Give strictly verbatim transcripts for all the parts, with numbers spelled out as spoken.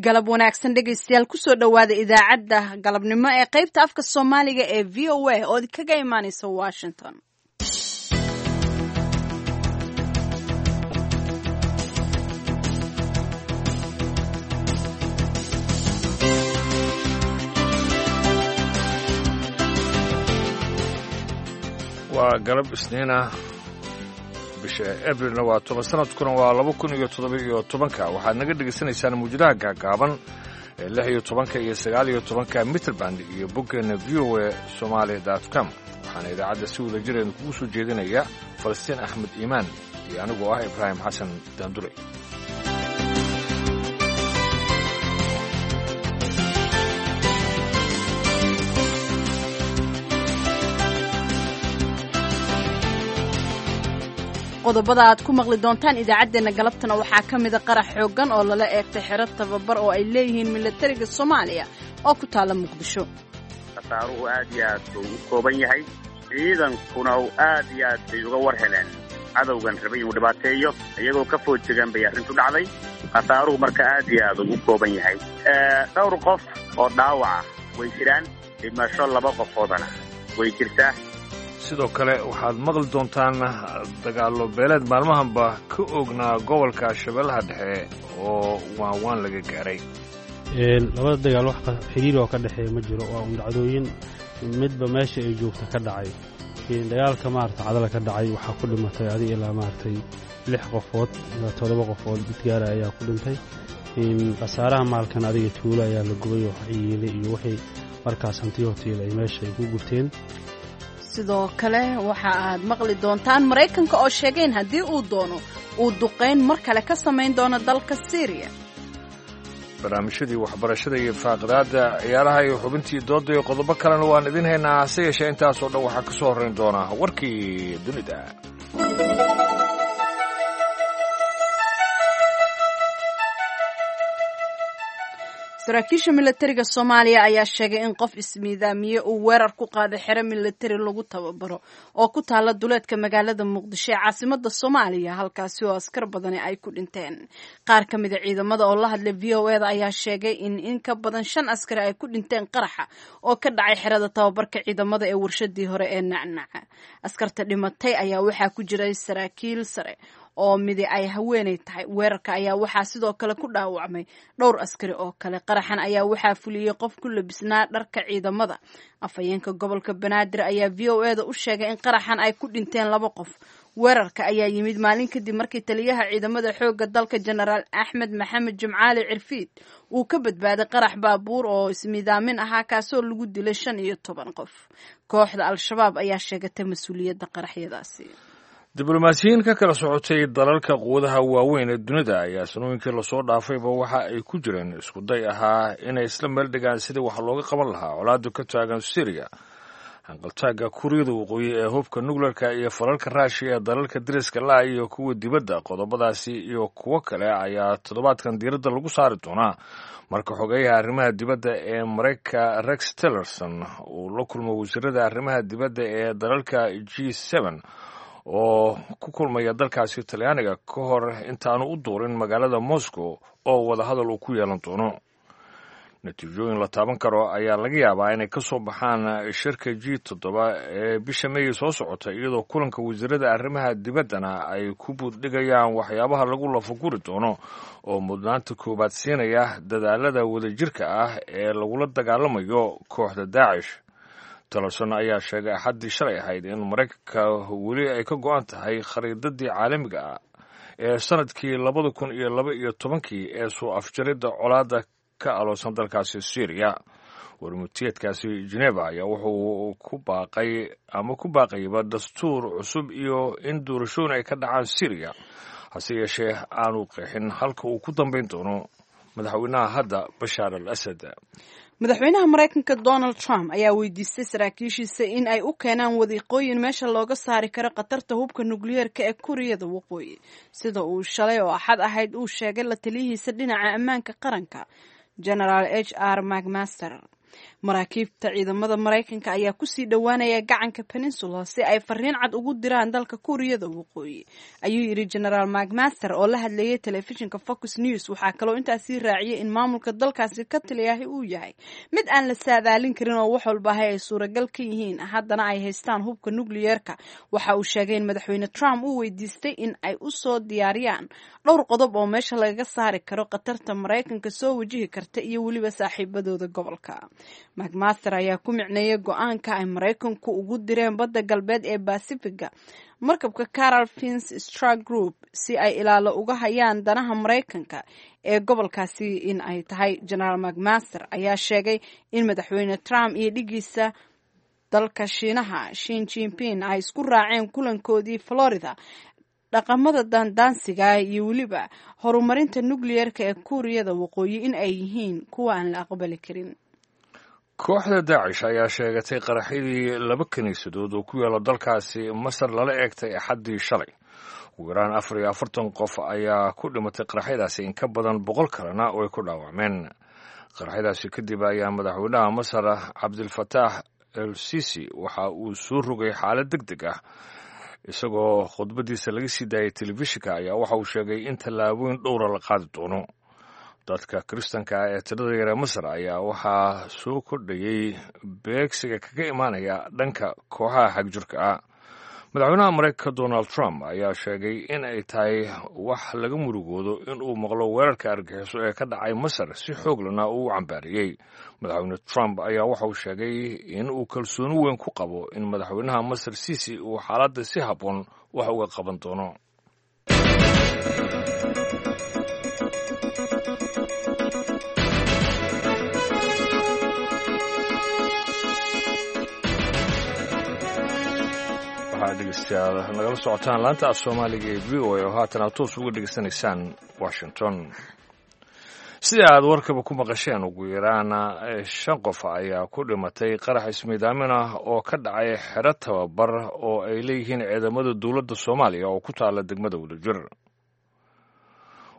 Galab wanaagsan dhegaystayaal, kusoo dhowaada idaacadda galabnimo ee qaybta afka Soomaaliga ee V O A oo kaga imaaneysa Washington. Waa galab Isniina, bisha Abrilna waa toban, sanadkuna waa laba kun iyo toddoba iyo tobanka. Waxaad naga dhegaysanaysaan muwjadaha gaagaaban ee lix iyo tobanka iyo sagaal iyo tobanka mitrband iyo boggeena V O A Somaali dot com. Waxaana idaacadda si wada jireena kugu soo jeedinaya Falastiin Axmed Iimaan iyo anigoo ah Ibraahim Xasan Daandure. Qodobada aad ku maqli doontaan idaacaddeenna galabtana waxaa ka mida qarax xooggan oo lala eegtay xero tababar oo ay leeyihiin milatariga Soomaaliya oo ku taala Muqdisho. Khasaaruhu aad iyo aad buu u kooban yahay, ciidankuna aad iyo aad bay uga war heleen cadowgan rabay inuu dhibaateeyo, iyagoo ka food jegaan bay arrintu dhacday. Khasaaruhu marka aad iyo aad ugu kooban yahay, dhowr qof oo dhaawaca way jiraan, dhimasho laba qofoodana way jirtaa. Sidoo kale waxaad maqli doontaan dagaallo beeleed maalmahanba ka oognaa gobolka Shabeellaha Dhexe oo waanwaan laga gaaray. Labada dagaal wax xiriir oo ka dhexeeya ma jiro, waa un dhacdooyin midba meesha ay joogta ka dhacay. Dagaalka maarata cadala ka dhacay waxaa ku dhimatay adig ilaa maaragtay lix qofood ilaa toddoba qofood mid gaara ayaa ku dhintay. Khasaaraha maalkan adiga tuulo ayaa la gubay oo yiilay iyo wixii markaas hanti hotiil ay meesha ay ku gubteen. Sidoo kale waxa aad maqli doontaan Maraykanka oo sheegeen haddii uu doono uu duqayn mar kale ka samayn doono dalka Siiriya. Barnaamijyadii waxbarashada iyo faaqidaadda ciyaaraha iyo xubintii doodda iyo qodobo kalena waan idin haynaa, hase yeeshee intaasoo dhan waxaa ka soo horrayn doona warkii dunida. Saraakiisha milatariga Soomaaliya ayaa sheegay in qof ismiidaamiye uu weerar ku qaaday xero milatari lagu tababaro oo ku taala duleedka magaalada Muqdisho ee caasimada Soomaaliya, halkaasi oo askar badani ay ku dhinteen. Qaar ka mida ciidamada oo la hadlay V O A da ayaa sheegay in in ka badan shan askari ay ku dhinteen qaraxa oo ka dhacay xerada tababarka ciidamada ee warshadii hore ee Nacnaca. Askarta dhimatay ayaa waxaa ku jiray saraakiil sare oo midi ay haweenay tahay. Weerarka ayaa waxaa sidoo kale ku dhaawacmay dhowr askari oo kale. Qaraxan ayaa waxaa fuliyey qof ku labisnaa dharka ciidamada. Afhayeenka gobolka Banaadir ayaa V O A da u sheegay in qaraxan ay ku dhinteen laba qof. Weerarka ayaa yimid maalin kadib markii taliyaha ciidamada xoogga dalka Jenaraal Axmed Maxamed Jimcaali Cirfiid uu ka badbaaday qarax baabuur oo ismiidaamin ahaa, kaasoo lagu dilay shan iyo toban qof. Kooxda Al-Shabaab ayaa sheegatay mas-uuliyadda qaraxyadaasi. Diblomaasiyiin ka kala socotay dalalka quwadaha waaweyn ee dunida ayaa sanooyinkii lasoo dhaafayba waxa ay ku jireen isku day ahaa inay isla meel dhigaan sidii wax looga qaban lahaa colaadda ka taagan Syriya, hanqaltaagga Kuuriyada Waqooyi ee hubka nukleerka iyo falalka Raashiya ee dalalka deriska la iyo kuwa dibadda. Qodobadaasi iyo kuwo kale ayaa toddobaadkan diiradda lagu saari doonaa marka xogeyaha arrimaha dibadda ee Maraykanka Rex Tillerson uu la kulmo wasiirada arrimaha dibadda ee dalalka G seven oo ku kulmaya dalkaasi Talyaaniga ka hor intaanu u duurin magaalada Moscow oo wadahadal uu ku yeelan doono. Natiijooyin la taaban karo ayaa laga yaabaa inay ka soo baxaan shirka G toddoba ee bisha Meey soo socota, iyadoo kulanka wasiirada arrimaha dibaddana ay ku buuddhigayaan waxyaabaha lagu lafaguri doono oo mudnaanta koowaad siinaya dadaalada wadajirka ah ee lagula dagaalamayo kooxda Daacish. Tillerson ayaa sheegay Axaddii shalay ahayd in Maraykanka weli ay ka go'an tahay khariidadii caalamiga ah ee sanadkii labada kun iyo laba iyo tobankii ee soo afjaridda colaadda ka aloosan dalkaasi Syriya. Warmutiyeedkaasi Geneva ayaa wuxuu ku baaqay ama ku baaqayba dastuur cusub iyo in doorashooyin ay ka dhacaan Syriya, hase yeeshee aanu qeexin halka uu ku dambayn doono madaxweynaha hadda Bashaar al Asad. Madaxweynaha Maraykanka Donald Trump ayaa weydiistay saraakiishiisa in ay u keenaan wadiiqooyin meesha looga saari karo khatarta hubka nukliyeerka ee Kuuriyada Waqooyi, sida uu shalay oo Axad ahayd uu sheegay la taliyihiisa dhinaca ammaanka qaranka Genaraal H R McMaster. Maraakiibta ciidamada Maraykanka ayaa kusii dhowaanaya gacanka Peninsula si ay fariin cad ugu diraan dalka Kuuriyada Waqooyi, ayuu yidhi Genaraal McMaster oo la hadlayay telefishinka Fox News. Waxaa kaloo intaasii raaciyay in maamulka dalkaasi ka taliyahay uu yahay mid aan la saadaalin karin oo wax walbahay ay suuragal ka yihiin, haddana ay haystaan hubka nukliyeerka. Waxa uu sheegay in madaxweyne Trump uu weydiistay in ay u soo diyaariyaan dhowr qodob oo meesha lagaga saari karo khatarta Maraykanka soo wajihi karta iyo weliba saaxiibadooda gobolka. McMaster ayaa ku micneeyay go-aanka ay Maraykanku ugu direen badda galbeed ee Basifiga markabka Caral Fins Strike Group si ay ilaalo uga hayaan danaha Maraykanka ee gobolkaasi in ay tahay. Genaraal McMaster ayaa sheegay in madaxweyne Trump iyo dhigiisa dalka Shiinaha Shin Jinping ay isku raaceen kulankoodii Florida dhaqamada daandaansiga iyo weliba horumarinta nukliyeerka ee Kuuriyada Waqooyi in ay yihiin kuwa aan la aqbali karin. Kooxda Daacish ayaa sheegatay qaraxyadii laba kiniisadood oo ku yaala dalkaasi Masar lala eegtay Axaddii shalay. Ugu yaraan afar iyo afartan qof ayaa ku dhimatay qaraxyadaasi, in ka badan boqol kalena oo ay ku dhaawacmeen. Qaraxyadaasi kadib ayaa madaxweynaha Masar Cabdilfataax El Sisi waxa uu soo rogay xaalad deg deg ah. Isagoo khudbadiisa laga sii daayay telefishinka ayaa waxa uu sheegay in tallaabooyin dhowra la qaadi doono. Dadka kiristanka ah ee tirada yar ee Masar ayaa waxaa soo kordhayey beegsiga kaga imaanaya dhanka kooxaha xagjirka ah. Madaxweynaha Maraykanka Donald Trump ayaa sheegay in ay tahay wax laga murugoodo in uu maqlo weerarka argaxiso ee ka dhacay Masar, si xooglana uu u cambaariyey. Madaxweyne Trump ayaa waxa uu sheegay in uu kalsooni weyn ku qabo in madaxweynaha Masar Sisi uu xaaladda si habboon wax uga qaban doono. Dhegeystayaal, nagala socotaan laanta af Soomaaliga ee V O A oo haatan aad toos uga dhegeysanaysaan Washington. Sida aad warkaba ku maqasheen, ugu yaraana shan qof ayaa ku dhimatay qarax ismiidaamin ah oo ka dhacay xero tababar oo ay leeyihiin ciidamada dowladda Soomaaliya oo ku taala degmada Wadajir.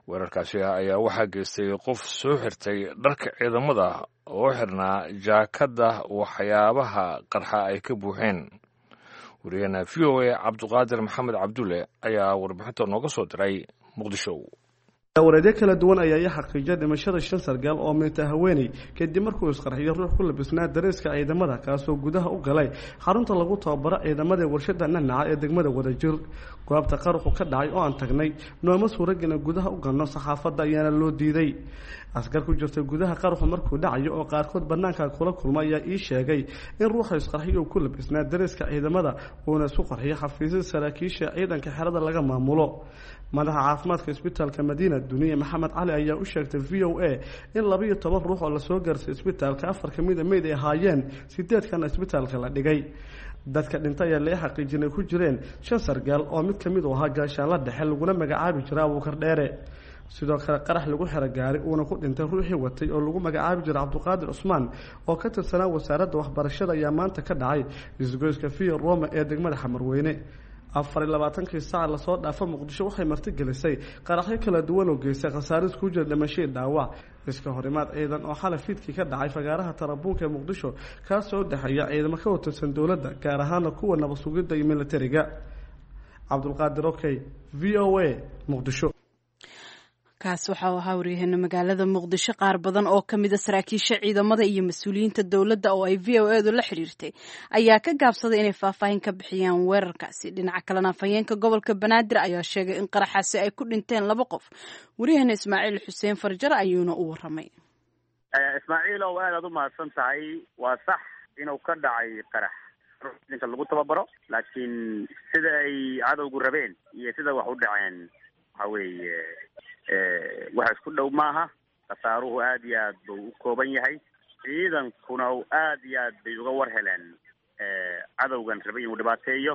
Weerarkaasi ayaa waxaa geystay qof soo xirtay dharka ciidamada oo xirnaa jaakadda waxyaabaha qarxa ay ka buuxeen. Wariyahena V O A Cabduqaadir Maxamed Cabdulle ayaa warbixinta nooga soo diray Muqdisho. Wareedyo kala duwan ayaa ii xaqiijiyay dhimashada shan sargaal oo meynta haweeney kadib markuu isqarxiyo ruux ku labisnaa dareeska ciidamada, kaasoo gudaha u galay xarunta lagu tababaro ciidamada warshada Nanaca ee degmada Wadajir. Goobta qaruxu ka dhacay oo aan tagnay nooma suuragina gudaha u galno, saxaafadda ayaana loo diiday. Askar ku jirtay gudaha qaruxu markuu dhacayo oo qaarkood bannaanka kula kulma ayaa ii sheegay in ruuxa isqarxiyo uu ku labisnaa dareeska ciidamada, uuna isku qarxiyo xafiisyada saraakiisha ciidanka xerada laga maamulo. Madaxa caafimaadka isbitaalka Madiina Duniye Maxamed Cali ayaa u sheegtay V O A in laba iyo toban ruux oo lasoo gaarsay isbitaalka afar ka mid a meyd ay ahaayeen, sideedkana isbitaalka la dhigay. Dadka dhintay ayaa lee xaqiijinay ku jireen shan sargaal oo mid ka mid u ahaa gaashaanla dhexe laguna magacaabi jira Abuukar Dheere. Sidoo kale qarax lagu xero gaari uuna ku dhintay ruuxii watay oo lagu magacaabi jiray Cabduqaadir Cusmaan oo ka tirsanaa wasaaradda waxbarashada ayaa maanta ka dhacay isgoyska Via Roma ee degmada Xamarweyne. Afar iyo labaatankii saac lasoo dhaafo Muqdisho waxay martigelisay qaraxyo kala duwan oo geystay khasaare isku jira dhimashadii dhaawac. Iska horimaad ciidan oo xalay fiidkii ka dhacay fagaaraha Tarabuunka ee Muqdisho, kaasoo u dhexeeya ciidamo ka watirsan dowladda, gaar ahaana kuwa nabad sugidda iyo militariga. Cabdulqaadir Okey, V O A, Muqdisho. Kaas waxa uu ahaa waryaheena magaalada Muqdisho. Qaar badan oo ka mida saraakiisha ciidamada iyo mas-uuliyiinta dowladda oo ay V O edu la xiriirtay ayaa ka gaabsaday inay faahfaahin ka bixiyaan weerarkaasi. Dhinaca kalena, afhayeenka gobolka Banaadir ayaa sheegay in qaraxaasi ay ku dhinteen laba qof. Waryaheena Ismaaciil Xuseen Farjar ayuuna u waramay. Ismaaciil ow, aad aad u mahadsan tahay. Waa sax inuu ka dhacay qarax ninka lagu tababaro, laakiin sida ay cadowgu rabeen iyo sida wax u dhaceen waxa weeye wax isku dhow maaha. Khasaaruhu aad iyo aad buu u kooban yahay, ciidankuna aad iyo aad bay uga war heleen cadowgan rabay inuu dhibaateeyo,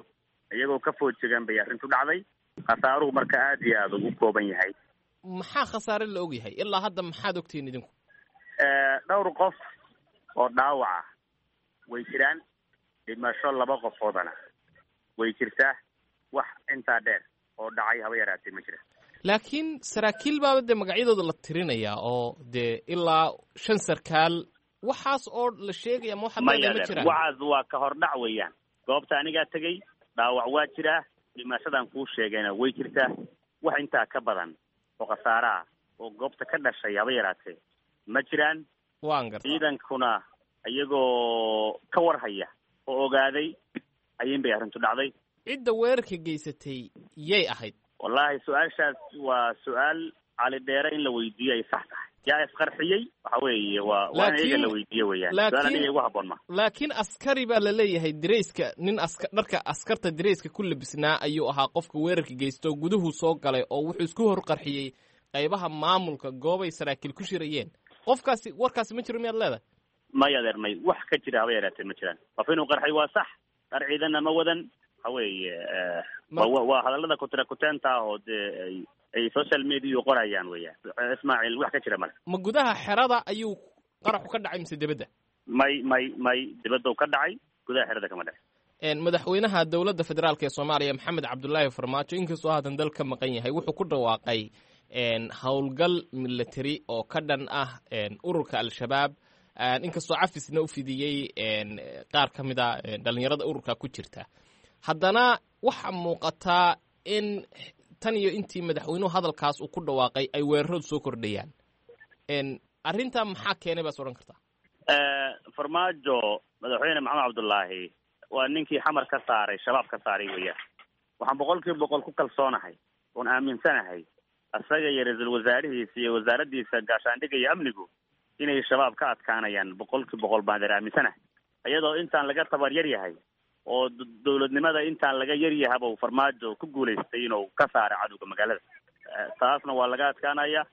iyagoo ka foodjegaan bay arrintu dhacday. Khasaaruhu marka aad iyo aad ugu kooban yahay. Maxaa khasaare la og yahay ilaa hadda? Maxaad ogtihiin idinku? Dhowr qof oo dhaawaca way jiraan, dhimasho laba qofoodana way jirtaa. Wax intaa dheer oo dhacay haba yaraatee ma jira. Laakiin saraakiil baaba dee magacyadooda la tirinayaa oo dee ilaa shan sarkaal Waxaas oo la sheegaya ma waxaad Maya, leedahay ma jiraan? Waxaas waa ka hordhac weeyaan. Goobta anigaa tegey, dhaawac waa jiraa, dhimashadan kuu sheegayna way jirtaa. Wax intaa ka badan oo khasaare ah oo goobta ka dhashay haba yaraatee ma jiraan. Waan gartaa. Ciidankuna iyagoo ka warhaya oo ogaaday ayin bay arrintu dhacday. Cidda weerarka geysatay yay ahayd? Wallaahi su-aashaas waa su-aal Cali Dheere in la weydiiyo ay sax tahay. Yaa isqarxiyey? Waxa weeye waa waa in iyaga la weydiiyo weeyaan. Su-aal aniga igu habboon ma. Laakiin askari baa la leeyahay, dirayska nin aska dharka askarta dirayska ku labisnaa ayuu ahaa qofka weerarka geysto, guduhu soo galay oo wuxuu isku hor qarxiyey qaybaha maamulka goobay saraakiil ku shirayeen. Qofkaasi warkaasi ma jiro miyaad leedahay? May adeer, may, wax ka jira haba yaraatee ma jiraan. Qof inuu qarxay waa sax, dhar ciidanna ma wadan. Waxa weeye wa waa hadallada kutira kuteenta ah oo dee ay ay social mediau qorayaan weeyaan, Ismaaciil, wax ka jira male. Ma gudaha xerada ayuu qaraxu ka dhacay mise dibadda? May, may, may, dibadda ka dhacay, gudaha xerada kama dhacay. Madaxweynaha dowladda federaalka ee Soomaaliya Maxamed Cabdulaahi Farmaajo, inkastoo haatan dal ka maqan yahay, wuxuu ku dhawaaqay howlgal military oo ka dhan ah ururka Al-Shabaab, inkastoo cafisna u fidiyey qaar ka mid a dhalinyarada ururka ku jirta. Haddana waxaa muuqataa in tan iyo intii madaxweynuhu hadalkaas uu ku dhawaaqay ay weeraradu soo kordhayaan. Arrintaa maxaa keenay baas odhan kartaa? Farmaajo, madaxweyne Maxamed Cabdullaahi, waa ninkii Xamar ka saaray Shabaab ka saaray weeyaan. Waxaan boqol kiiba boqol ku kalsoonahay oon aaminsanahay isaga iyo ra-iisul wasaarihiisa iyo wasaaraddiisa gaashaandhigga iyo amnigu inay Shabaab ka adkaanayaan. Boqol kiiba boqol baan deer aaminsanahay, iyadoo intaan laga tabar yar yahay oo dowladnimada intaan laga yar yahaba uu Farmaajo ku guulaystay inuu ka saaro cadowga magaalada. Taasna waa laga adkaanaya.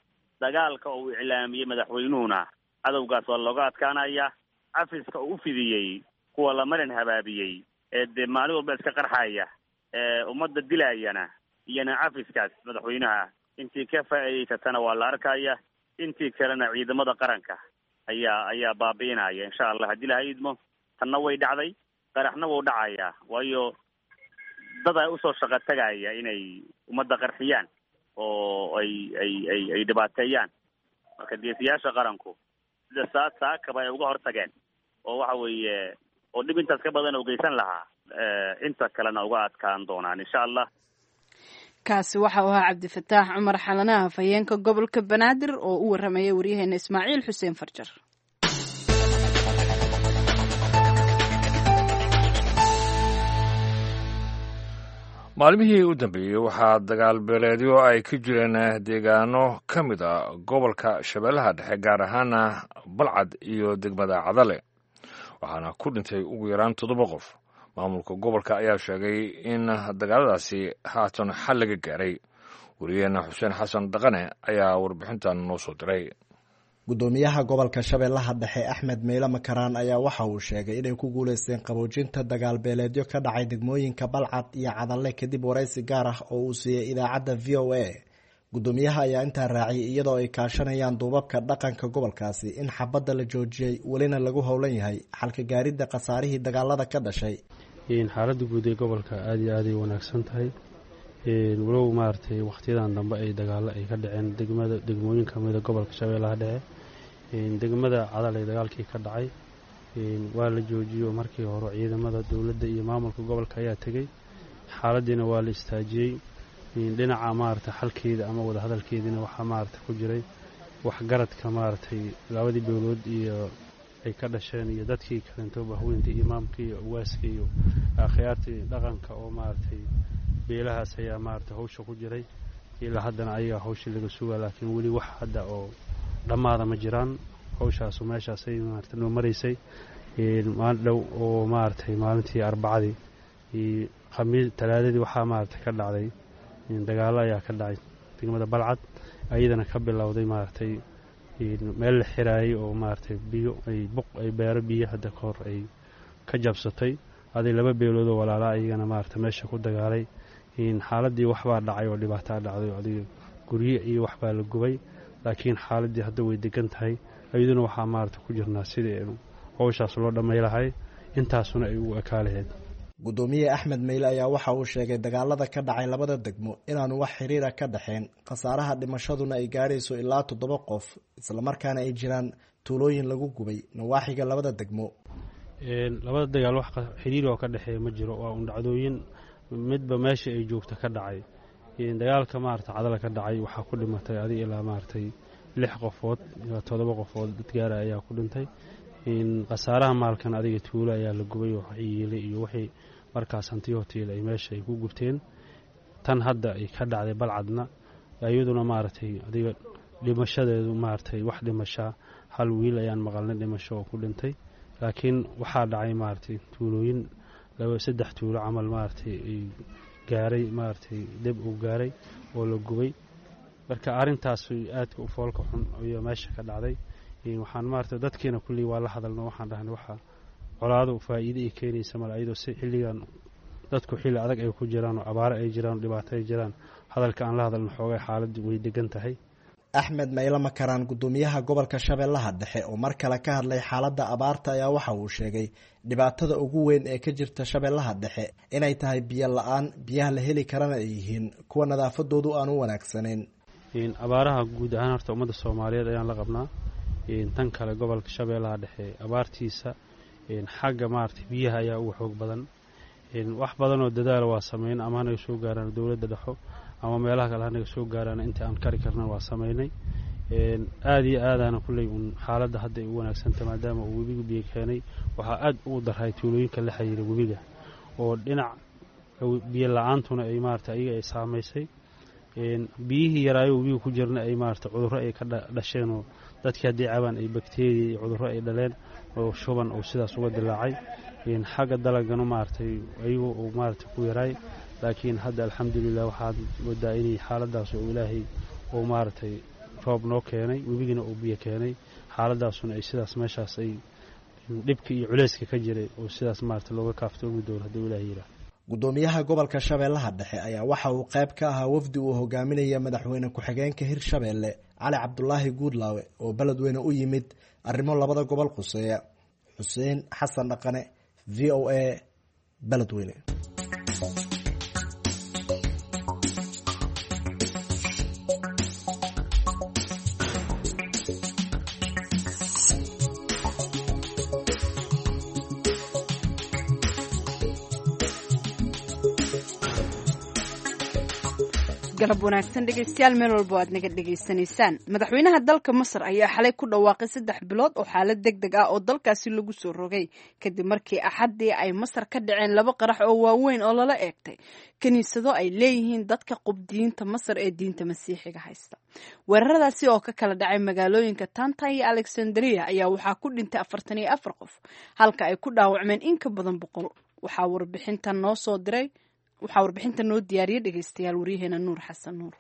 Dagaalka uu iclaamiyey madaxweynuhuna cadowgaas waa looga adkaanaya. Cafiska uu ufidiyey kuwa la marin habaabiyey ee dee maalin walba iska qarxaya ee ummadda dilayana, iyona cafiskaas madaxweynaha intii ka faa'iidaysatana waa la arkaya, intii kalena ciidamada qaranka ayaa ayaa baabi'inaya, insha Allah, haddii laha idmo. Tanna way dhacday, qaraxna wuu dhacayaa, waayo dad ay usoo shaqo tagaya inay ummadda qarxiyaan oo ay ay ay ay dhibaateeyaan. Marka geesiyaasha qaranku sida saa saakaba ay uga hortageen oo waxa weeye oo dhib intaas ka badan oo geysan lahaa, inta kalena uga adkaan doonaan, insha Allah. Kaasi waxa uu ahaa Cabdifataax Cumar Xalanaha, afhayeenka gobolka Banaadir, oo u warramaya waryaheena Ismaaciil Xuseen Farjar. Maalmihii u dambeeyey waxaa dagaal beeleedyo ay ka jireen deegaano ka mid a gobolka Shabeellaha Dhexe, gaar ahaana Balcad iyo degmada Cadale, waxaana ku dhintay ugu yaraan toddoba qof. Maamulka gobolka ayaa sheegay in dagaaladaasi haatan xal laga gaaray. Wariyaheena Xuseen Xasan Dhaqane ayaa warbixintan noo soo diray. Gudoomiyaha gobolka Shabeellaha Dhexe Axmed Meyle Makaraan ayaa waxa uu sheegay inay ku guuleysteen qaboojinta dagaal beeleedyo ka dhacay degmooyinka Balcad iyo Cadalle, kadib waraysi gaar ah oo uu siiyey idaacadda V O A. Gudoomiyaha ayaa intaa raaciyay, iyadoo ay kaashanayaan duubabka dhaqanka gobolkaasi, in xabadda la joojiyey, welina lagu howlan yahay xalka gaaridda khasaarihii dagaalada ka dhashay. Xaaladda guud ee gobolka aada iyo aaday wanaagsan tahay, walow maaragtay wakhtiyadan dambe ay dagaalo ay ka dhaceen degmada degmooyin ka mida gobolka Shabeellaha Dhexe. Degmada Cadalay dagaalkii ka dhacay waa la joojiyo. Markii hore ciidamada dowladda iyo maamulka gobolka ayaa tegey, xaaladdiina waa la istaajiyey. Dhinaca maaragtay xalkeeda ama wadahadalkeediina waxaa maaragtay ku jiray waxgaradka maaragtay labadii dowlood iyo ay ka dhasheen iyo dadkii kalento, bahweynta, imaamka iyo ugaaska iyo akhyaartii dhaqanka oo maaragtay beelahaas ayaa maaragtay hawsha ku jiray. Ilaa haddana ayagaa hawshii laga sugaa, laakiin weli wax hadda oo dhammaada ma jiraan. Hawshaasu meeshaasay maaragtay noo maraysay. Maalin dhow oo maaragtay maalintii Arbacadii iyo Khamiis Talaadadii waxaa maaragtay ka dhacday dagaallo ayaa ka dhacay degmada Balcad, ayadana ka bilowday maaragtay meel la xiraayay oo maaragtay biyo ay buq ay beero biyo hadda ka hor ay ka jabsatay aday laba beeloodoo walaalaa ayagana maaragtay meesha ku dagaalay. Xaaladii waxbaa dhacay oo dhibaataa dhacday oo adiga guryo iyo waxbaa la gubay, laakiin xaaladii hadda way degan tahay. Iyaduna waxaa maaragtay ku jirnaa sidii howshaas loo dhamay lahay, intaasuna ay ugu ekaa lahayd. Guddoomiye Axmed Meyle ayaa waxa uu sheegay dagaalada ka dhacay labada degmo inaanu wax xiriira ka dhexeen, khasaaraha dhimashaduna ay gaadhayso ilaa toddoba qof, islamarkaana ay jiraan tuulooyin lagu gubay nawaaxiga labada degmo. Labada dagaal wax xiriir oo ka dhexeeya ma jiro, waa un dhacdooyin midba meesha ay joogta ka dhacay. Dagaalka maarata Cadala ka dhacay waxaa ku dhimatay adig ilaa maaragtay lix qofood ilaa toddoba qofood dad gaara ayaa ku dhintay. Khasaaraha maalkan adiga tuulo ayaa la gubay oo yiilay iyo wixii markaas hantiyo hotiil ay meesha ay ku gubteen. Tan hadda ay ka dhacday Balcadna iyaduna maaragtay adiga dhimashadeedu maaragtay wax dhimashaa hal wiil ayaan maqalnay dhimasho oo ku dhintay, laakiin waxaa dhacay maaragtay tuulooyin laba saddex tuulo camal maaragtay ay gaaray maaragtay deb uu gaaray oo la gubay. Marka arrintaas aadka u foolka xun ayaa meesha ka dhacday. Waxaan maaragtay dadkiina kulley waa la hadalno, waxaan dhahnay waxa colaado faa'iido ay keenaysa male, ayadoo si xilligan dadku xilli adag ay ku jiraan oo abaaro ay jiraan oo dhibaato ay jiraan, hadalka aan la hadalno xoogay xaaladdu way degan tahay. Axmed Meyle Makaraan, guddoomiyaha gobolka Shabeellaha Dhexe oo mar kale ka hadlay xaaladda abaarta ayaa waxa uu sheegay dhibaatada ugu weyn ee ka jirta Shabeellaha Dhexe inay tahay biyo la-aan, biyaha la heli karana ay yihiin kuwa nadaafadoodu aan u wanaagsanayn. Abaaraha guud ahaan horta ummadda Soomaaliyeed ayaan la qabnaa. Tan kale gobolka Shabeellaha Dhexe abaartiisa xagga maaragtay biyaha ayaa ugu xoog badan. Wax badan oo dadaala waa sameyn, ama hanaga soo gaaraan dowladda dhexo ama meelaha kale hanaga soo gaaraan, inta aan kari karna waa sameynay. Aada iyo aadaana kulley uun xaaladda hadda ay u wanaagsanta maadaama uu webigu biyo keenay. Waxaa aada ugu darray tuulooyinka la xiriira webiga oo dhinac biyo la-aantuna ay maaragtay ayaga ay saamaysay, biyihii yaraayo webiga ku jirna ay maaragtay cudurro ay ka dhasheen oo dadkii haddii cabaan ay bakteeriya iyo cudurro ay dhaleen oo shuban oo sidaas uga dilaacay. Xagga dalagana maaragtay ayagu uu maaragtay ku yaraay, laakiin hadda alxamdulilah waxaad moodaa inay xaaladaas oo ilaahay uu maaragtay roob noo keenay, webigina uu biyo keenay, xaaladaasuna ay sidaas meeshaas ay dhibka iyo culeyska ka jiray oo sidaas maaragtay looga kaaftoomi doono hadduu ilaahay yidhaah. Guddoomiyaha gobolka Shabeellaha Dhexe ayaa waxa uu qayb ka ahaa wafdi uu hogaaminaya madaxweyne ku-xigeenka Hirshabeelle Cali Cabdulaahi Guudlaawe oo beledweyne u yimid arrimo labada gobol quseeya. Xuseen Xasan Dhaqane, V O A, Beledweyne. Galab wanaagsan dhegeystayaal, meel walba aad naga dhegeysanaysaan. Madaxweynaha dalka Masar ayaa xalay ku dhawaaqay saddex bilood oo xaalad deg deg ah oo dalkaasi lagu soo rogay kadib markii axaddii ay Masar ka dhaceen laba qarax oo waaweyn oo lala eegtay kiniisado ay leeyihiin dadka qubdiyiinta Masar ee diinta masiixiga haysta. Weeraradaasi oo ka kala dhacay magaalooyinka Tanta iyo Alexandria ayaa waxaa ku dhintay afartan iyo afar qof halka ay ku dhaawacmeen in ka badan boqol. Waxaa warbixintan noo soo diray waxaa warbixinta noo diyaariyey dhegeystayaal waryaheena Nuur Xasan Nuur.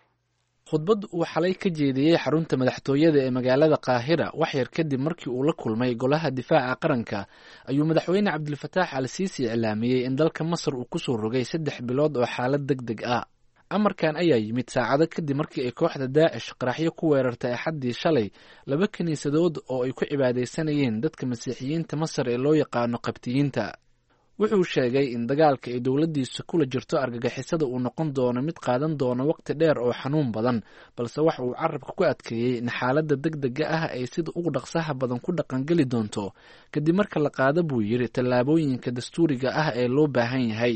Khudbad uu xalay ka jeediyey xarunta madaxtooyada ee magaalada Qaahira wax yar kadib markii uu la kulmay golaha difaaca qaranka ayuu madaxweyne Cabdilfataax Al Siisi iclaamiyey in dalka Masar uu kusoo rogay saddex bilood oo xaalad deg deg ah. Amarkan ayaa yimid saacado kadib markii ay kooxda Daacish qaraxyo ku weerartay axaddii shalay laba kiniisadood oo ay ku cibaadaysanayeen dadka masiixiyiinta Masar ee loo yaqaano qabtiyiinta. Wuxuu sheegay in dagaalka ay dowladdiisa kula jirto argagixisada uu noqon doono mid qaadan doono waqti dheer oo xanuun badan, balse waxa uu carabka ku adkeeyey in xaaladda deg dega ah ay sida ugu dhaqsaha badan ku dhaqangeli doonto kadib marka la qaado buu yidhi tallaabooyinka dastuuriga ah ee loo baahan yahay.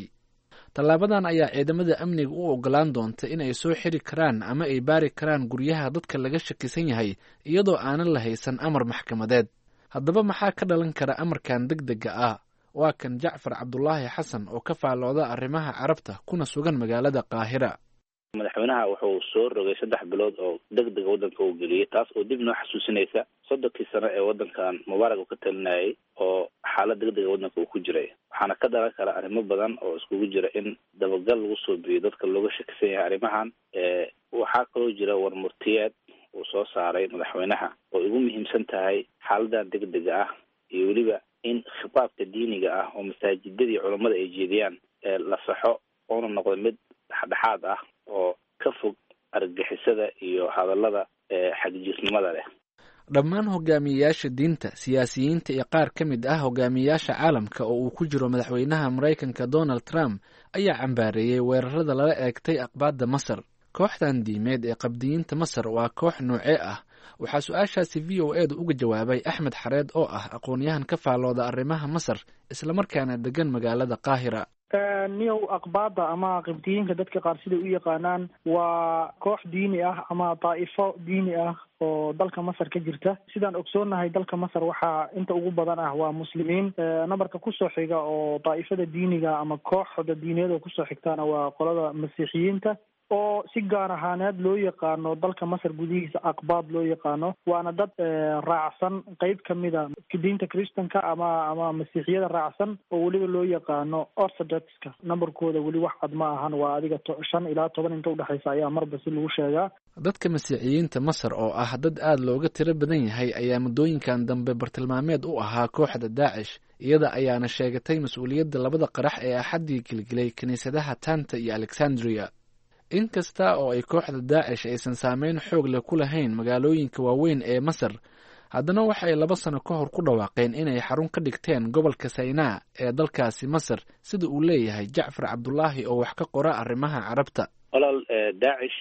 Tallaabadan ayaa ciidamada amniga u ogolaan doonta in ay soo xiri karaan ama ay baari karaan guryaha dadka laga shakisan yahay iyadoo aanan la haysan amar maxkamadeed. Haddaba maxaa ka dhalan kara amarkan deg dega ah? Waa kan Jacfar Cabdulaahi Xasan oo ka faallooda arrimaha carabta kuna sugan magaalada Qaahira. Madaxweynaha wuxuu soo rogay saddex bilood oo deg dega waddanka uu geliyey, taas oo dib noo xasuusinaysa soddonkii sano ee waddankan Mubaarak uu ka talinayay oo xaalad deg dega waddanka uu ku jiray. Waxaana ka dhalan kara arrimo badan oo iskugu jira in dabagal lagu soo biyo dadka looga shakisan yahay arrimahan. Waxaa kaloo jira warmurtiyeed uu soo saaray madaxweynaha oo ugu muhiimsan tahay xaaladan deg dega ah iyo weliba in khitaabka diiniga ah oo masaajidadii culammada ay jeediyaan la saxo oona noqdo mid dhexdhexaad ah oo ka fog argagixisada iyo hadallada xagjirnimada leh. Dhammaan hogaamiyeyaasha diinta, siyaasiyiinta iyo qaar ka mid ah hogaamiyeyaasha caalamka oo uu ku jiro madaxweynaha Maraykanka Donald Trump ayaa cambaareeyey weerarada lala eegtay aqbaadda Masar. Kooxdan diimeed ee qabdiyiinta Masar waa koox noocee ah? Waxaa su-aashaasi V O A da uga jawaabay Axmed Xareed oo ah aqoon-yahan ka faallooda arrimaha Masar, islamarkaana degan magaalada Qaahira. Niyow, aqbaada ama qibdiyiinka dadka qaar siday u yaqaanaan waa koox diini ah ama daa'ifo diini ah oo dalka Masar ka jirta. Sidaan ogsoonnahay, dalka Masar waxaa inta ugu badan ah waa muslimiin. Nambarka kusoo xiga oo daa'ifada diiniga ama kooxda diineed oo kusoo xigtaana waa qolada masiixiyiinta, oo si gaar ahaaneed loo yaqaano dalka Masar gudihiisa aqbaad loo yaqaano, waana dad raacsan qeyb kamida diinta kristanka ama ama masiixiyada raacsan, oo weliba loo yaqaano orthodoxka. Numberkooda weli wax cad ma ahan, waa adiga shan ilaa toban inta udhexaysa ayaa marba si lagu sheegaa. Dadka masiixiyiinta Masar oo ah dad aada looga tiro badan yahay ayaa muddooyinkan dambe bartilmaameed u ahaa kooxda Daacish. Iyada ayaana sheegatay mas-uuliyadda labada qarax ee Axaddii gelgelay kiniisadaha Tanta iyo Alexandria. Inkasta oo ay kooxda Daacish aysan saameyn xoog leh ku lahayn magaalooyinka waaweyn ee Masar, haddana waxa ay laba sano ka hor ku dhawaaqeen inay xarun ka dhigteen gobolka Saynaa ee dalkaasi Masar, sida uu leeyahay Jacfar Cabdulaahi oo wax ka qora arrimaha Carabta. Walaal, Daacish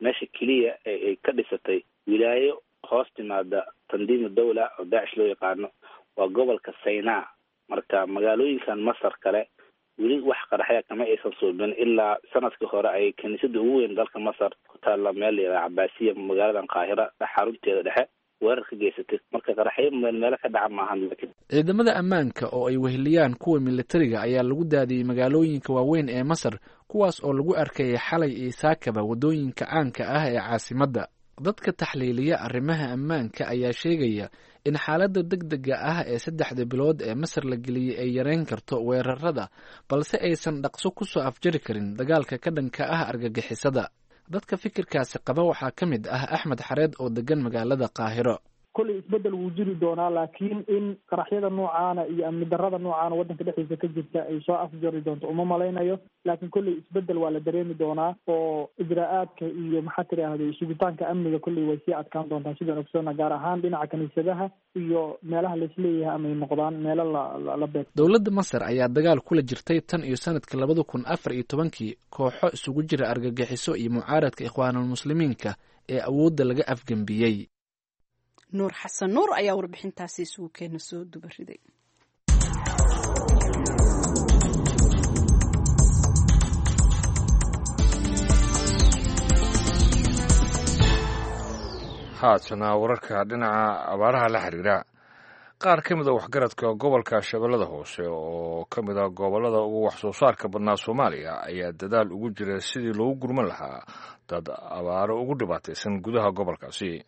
meesha keliya ee ay ka dhisatay wilaayo hoos timaada tandiimu dawla oo Daacish loo yaqaano waa gobolka Saynaa. Marka magaalooyinkan Masar kale weli wax qaraxya kama aysan suubin, ilaa sanadkii hore ay kiniisada ugu weyn dalka Masar ku taalla meel la yidhaha Cabaasiya, magaaladan Qaahira xarunteeda dhexe, weerar ka geysatay. Marka qaraxyo meelmeelo ka dhaca maahan, laakiin Ciidamada ammaanka oo ay weheliyaan kuwa militariga ayaa lagu daadiyey magaalooyinka waaweyn ee Masar, kuwaas oo lagu arkayay xalay iyo saakaba waddooyinka caanka ah ee caasimadda. Dadka taxliiliya arrimaha ammaanka ayaa sheegaya in xaaladda degdega ah ee saddexda bilood ee Masar la geliyey ay yareyn karto weerarada, balse aysan dhaqso kusoo afjari karin dagaalka ka dhanka ah argagixisada. Dadka fikirkaasi qaba waxaa ka mid ah Axmed Xareed oo degan magaalada Qaahiro. Kolley isbeddel wuu jiri doonaa, laakiin in qaraxyada noocaana iyo amni darrada noocaana waddanka dhexdiisa ka jirta ay soo afjari doonto uma malaynayo. Laakiin kolley isbeddel waa la dareemi doonaa, oo ijraa-aadka iyo maxaa tidhaahday sugitaanka amniga kolley way sii adkaan doontaa, sidaan ogsoona, gaar ahaan dhinaca kiniisadaha iyo meelaha laisleeyahay amay noqdaan meelo la la beeg. Dowladda Masar ayaa dagaal kula jirtay tan iyo sanadka labada kun afar iyo tobankii kooxo isugu jira argagixiso iyo mucaaradka Ikhwaanulmuslimiinka ee awoodda laga afgembiyey. Nuur Xasan Nuur ayaa warbixintaasi isugu keena soo dubariday. Haatana wararka dhinaca abaaraha la xiriira. Qaar ka mid a waxgaradka gobolka Shabeellada Hoose, oo ka mid a gobollada ugu wax soo saarka badnaa Soomaaliya, ayaa dadaal ugu jira sidii loogu gurman lahaa dad abaaro ugu dhibaataysan gudaha gobolkaasi.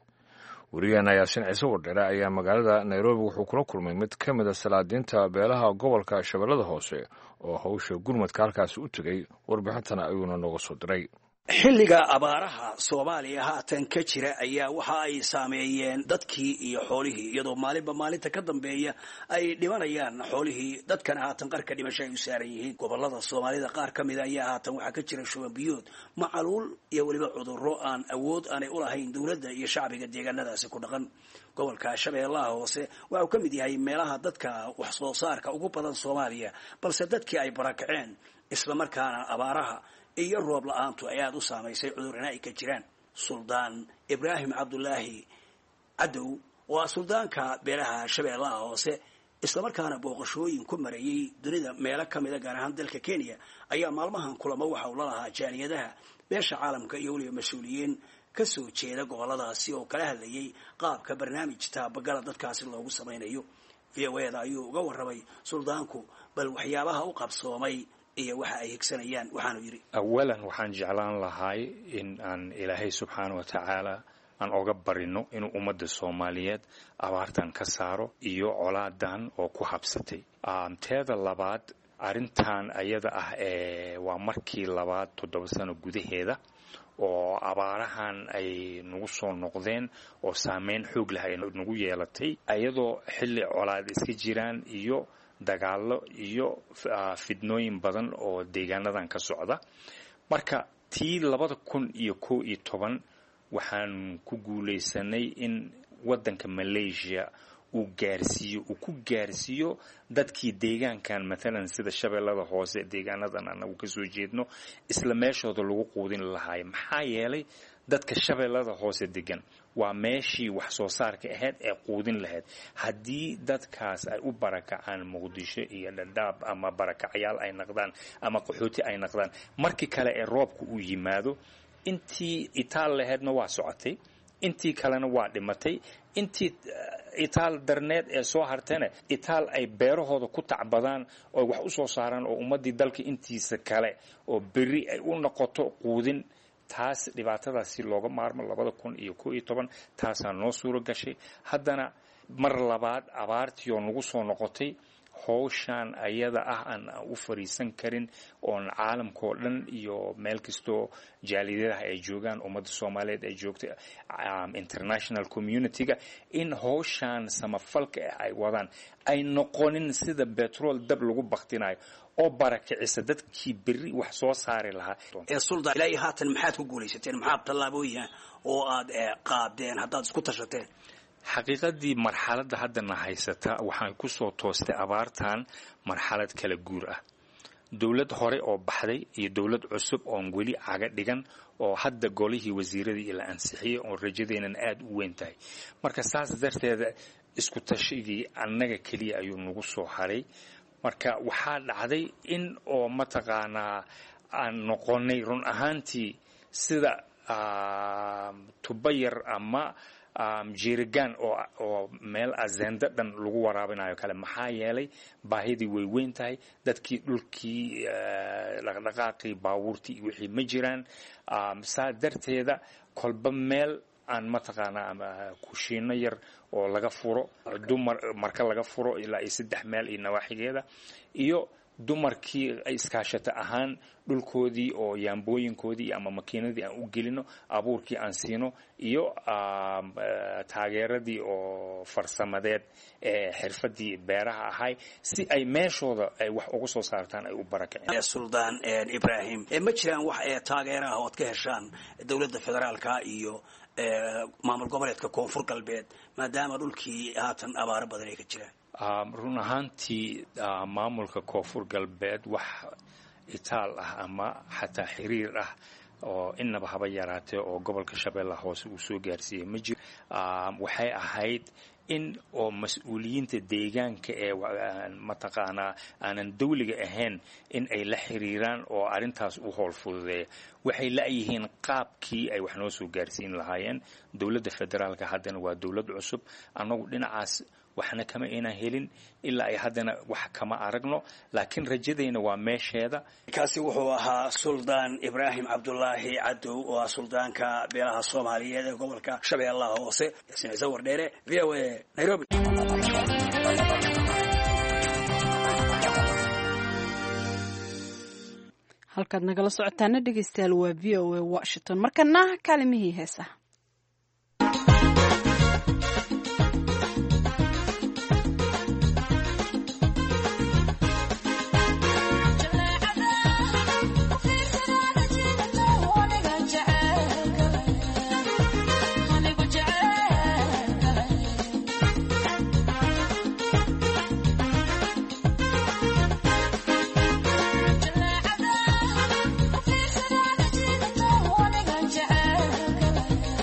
Wariyaheena Yaasin Ciise Wardheere ayaa magaalada Nairobi wuxuu kula kulmay mid ka mid a salaadiinta beelaha gobolka Shabeellada Hoose oo hawsha gurmadka halkaasi u tegay. Warbixintana ayuuna nooga soo diray. Xilliga abaaraha Soomaaliya haatan ka jira ayaa waxa ay saameeyeen dadkii iyo xoolihii, iyadoo maalinba maalinta ka dambeeya ay dhimanayaan xoolihii, dadkana haatan qarka dhimasho ay u saaran yihiin. Gobolada Soomaalida qaar ka mida ayaa haatan waxaa ka jira shuban biyood, macaluul iyo weliba cudurro aan awood aanay u lahayn dowladda iyo shacbiga deegaanadaasi ku dhaqan. Gobolka Shabeellaha Hoose waxa uu ka mid yahay meelaha dadka wax soo saarka ugu badan Soomaaliya, balse dadkii ay barakaceen, islamarkaana abaaraha iyo roob la-aantu ay aada u saamaysay, cudurrina ay ka jiraan. Suldaan Ibraahim Cabdulaahi Cadow waa suldaanka beelaha Shabeellaha Hoose, islamarkaana booqashooyin ku marayay dunida meelo ka mida, gaar ahaan dalka Kenya, ayaa maalmahan kulamo waxa uu la lahaa jaaliyadaha beesha caalamka iyo weliba mas-uuliyiin ka soo jeeda goboladaasi oo kala hadlayay qaabka barnaamij taabagala dadkaasi loogu samaynayo. V O A da ayuu uga warramay suldaanku bal waxyaabaha u qabsoomay iyo waxa ay higsanayaan, waxaanu yidhi: Awalan, waxaan jeclaan lahay in aan Ilaahay subxaana wa tacaala aan oga barino inuu ummadda Soomaaliyeed abaartan ka saaro iyo colaadan oo ku habsatay. Teeda labaad, arrintan ayada ah ee waa markii labaad toddoba sano gudaheeda oo abaarahan ay nagu soo noqdeen oo saameyn xoog leh ay nagu yeelatay, ayadoo xilli colaad iska jiraan iyo dagaallo iyo fidnooyin badan oo deegaanadan ka socda. Marka tii labada kun iyo kow iyo toban waxaan ku guulaysanay in waddanka Malaysia uu gaarsiiyo, uu ku gaarsiiyo dadkii deegaankan, mathalan sida Shabeellada Hoose, deegaanadan anagu kasoo jeedno, isla meeshooda lagu quudin lahaay. Maxaa yeelay dadka Shabeellada Hoose degan waa meeshii wax soo saarka ahayd ee quudin lahayd. Haddii dadkaas ay u barakacaan Muqdisho iyo Dhadhaab ama barakacyaal ay naqdaan ama qaxooti ay naqdaan, markii kale ee roobka uu yimaado, intii itaal lahaydna waa socotay, intii kalena waa dhimatay, intii itaal darneed ee soo hartana itaal ay beerahooda ku tacbadaan oo wax u soo saaraan oo ummaddii dalka intiisa kale oo berri ay u noqoto quudin. Taas dhibaatadaas si looga maarmo labada kun iyo ko iyo toban taasaa noo suuro gashay. Haddana mar labaad abaartii oo nagu soo noqotay, howshaan ayada ah aan u fariisan karin oon caalamkao dhan iyo meel kastoo jaaliyadaha ay joogaan, ummadda Soomaaliyeed ay joogta, international community-ga, in howshaan samafalka ah ay wadaan ay noqonin sida betrol dab lagu baktinayo oo barakicisa dadkii berri wax soo saari lahaa. Suldan, ilaa iyo haatan maxaad ku guulaysateen? Maxaad tallaabooyin oo aad qaadeen haddaad isku tashateen? Xaqiiqadii marxaladda haddana haysata waxaan ku soo toostay abaartan marxalad kala guur ah, dowlad hore oo baxday iyo dowlad cusub oon weli caga dhigan oo hadda golihii wasiiradii la ansixiyey oon rajadeenan aada u weyn tahay. Marka saas darteeda isku tashigii annaga keliya ayuu nagu soo haray. Marka waxaa dhacday in oo mataqaanaa aan noqonay run ahaantii sida tuba yar ama jiirigaan oo meel azenda dhan lagu waraabinayo kale. Maxaa yeelay baahidii way weyn tahay, dadkii dhulkii dhaqdhaqaaqii baabuurtii iyo wixii ma jiraan. Saa darteeda kolba meel aan mataqaanaa ama kushiino yar oo laga furo dumar, marka laga furo ilaa iyo saddex meel iyo nawaaxigeeda, iyo dumarkii ay iskaashato ahaan dhulkoodii oo yaambooyinkoodii ama makiinadii aan u gelino, abuurkii aan siino iyo taageeradii oo farsamadeed ee xirfadii beeraha ahay si ay meeshooda ay wax uga soo saartaan ay u barakaceen. Suldaan Ibraahim, ma jiraan wax taageeraha ood ka heshaan dowladda federaalka iyo maamul goboleedka Koonfur Galbeed, maadaama dhulkii haatan abaaro badan ay ka jiraan? Run ahaantii maamulka Koonfur Galbeed wax itaal ah ama xataa xiriir ah oo inaba haba yaraatee oo gobolka Shabeellaha Hoose uu soo gaarsiiyey ma jiro. Waxay ahayd in oo mas-uuliyiinta deegaanka ee mataqaanaa aanan dawliga ahayn in ay la xiriiraan oo arrintaas u howl fududeeya. Waxay la'yihiin qaabkii ay wax noo soo gaarsiin lahaayeen. Dowladda federaalka haddana waa dowlad cusub, annagu dhinacaas waxna kama aynan helin ilaa ay haddana wax kama aragno, laakiin rajadayna waa meesheeda. Kaasi wuxuu ahaa Suldaan Ibraahim Cabdulaahi Cadow oo ah suldaanka beelaha Soomaaliyeed ee gobolka Shabeellaha Hoose. Yaasiin Ciise Wardheere, V O A, Nairobi. Halkaad nagala socotaana dhegeystayaal waa V O A Washington. Markana kaalimihii heesaha. Yeah.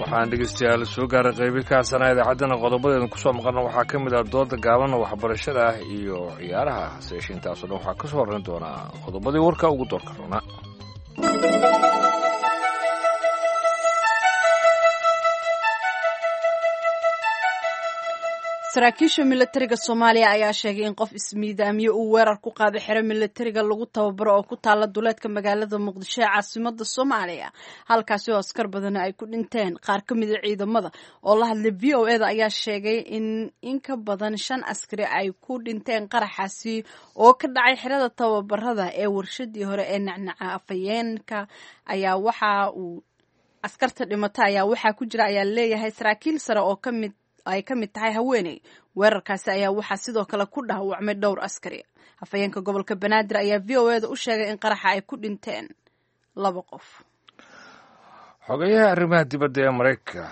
Waxaan dhegeystayaal soo gaaray qaybi kaasana idaacaddana qodobadeeda kusoo maqalna waxaa ka mid ah dooda gaaban, waxbarashada ah iyo ciyaaraha. Hase yeeshee intaasoo dhan waxaa ka soo horreyn doonaa qodobadii warka ugu doorka roona. Saraakiisha milatariga Soomaaliya ayaa sheegay in qof ismiidaamiye uu weerar ku qaaday xero milatariga lagu tababaro oo ku taala duleedka magaalada Muqdisho ee caasimada Soomaaliya, halkaasi oo askar badani ay ku dhinteen. Qaar ka mid a ciidamada oo la hadlay V O E da ayaa sheegay in in ka badan shan askari ay ku dhinteen qaraxaasi oo ka dhacay xerada tababarada ee warshadii hore ee Nacnaca. Afhayeenka ayaa waxa uu askarta dhimata ayaa waxaa ku jira ayaa leeyahay saraakiil sare oo kamid ay ka mid tahay haweeney. Weerarkaasi ayaa waxaa sidoo kale ku dhaawacmay dhowr askari. Afhayeenka gobolka Banaadir ayaa V O E da u sheegay in qaraxa ay ku dhinteen laba qof. Xogeyaha arrimaha dibadda ee Maraykanka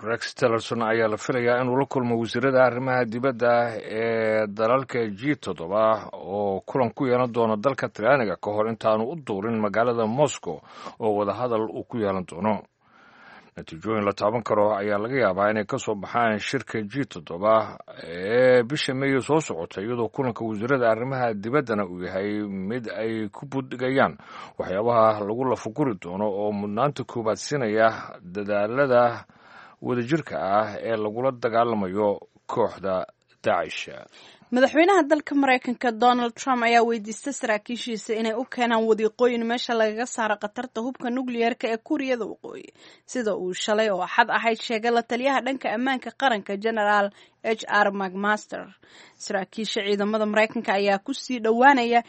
Rex Tillerson ayaa la filayaa inuu la kulmo wasiirada arrimaha dibadda ee dalalka G toddoba oo kulan ku yeelan doono dalka Talyaaniga ka hor intaanu u duurin magaalada Moscow oo wadahadal uu ku yeelan doono. Natiijooyin la taaban karo ayaa laga yaabaa inay ka soo baxaan shirka G toddoba ee bisha Meeyo soo socota, iyadoo kulanka wasiirada arrimaha dibaddana uu yahay mid ay ku buddhigayaan waxyaabaha lagu lafaguri doono oo mudnaanta koowaad siinaya dadaalada wadajirka ah ee lagula dagaalamayo kooxda Daacish. Madaxweynaha dalka Maraykanka Donald Trump ayaa weydiistay saraakiishiisa inay u keenaan wadiiqooyin meesha lagaga saaro khatarta hubka nukliyeerka ee Kuuriyada Waqooyi, sida uu shalay oo Axad ahayd sheegay la taliyaha dhanka ammaanka qaranka Generaal H R McMaster. Saraakiisha ciidamada Maraykanka ayaa kusii dhowaanaya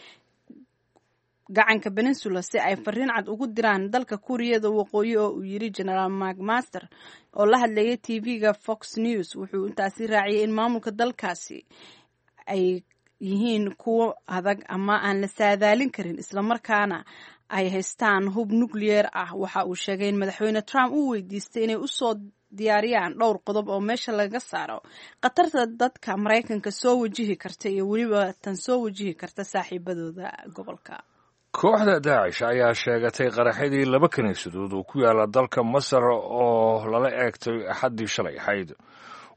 gacanka Peninsula si ay fariin cad ugu diraan dalka Kuuriyada Waqooyi, oo uu yiri Generaal McMaster oo la hadlayay T V-ga Fox News. Wuxuu intaasi raaciyay in maamulka dalkaasi ay yihiin kuwo adag ama aan la saadaalin karin, islamarkaana ay haystaan hub nukliyeer ah. Waxa uu sheegay in madaxweyne Trump uu weydiistay inay usoo diyaariyaan dhowr qodob oo meesha laga saaro khatarta dadka Maraykanka soo wajihi karta iyo weliba tan soo wajihi karta saaxiibadooda gobolka. Kooxda Daacish ayaa sheegatay qaraxyadii laba kiniisadood oo ku yaala dalka Masar oo lala eegtay Axaddii shalay ahayd.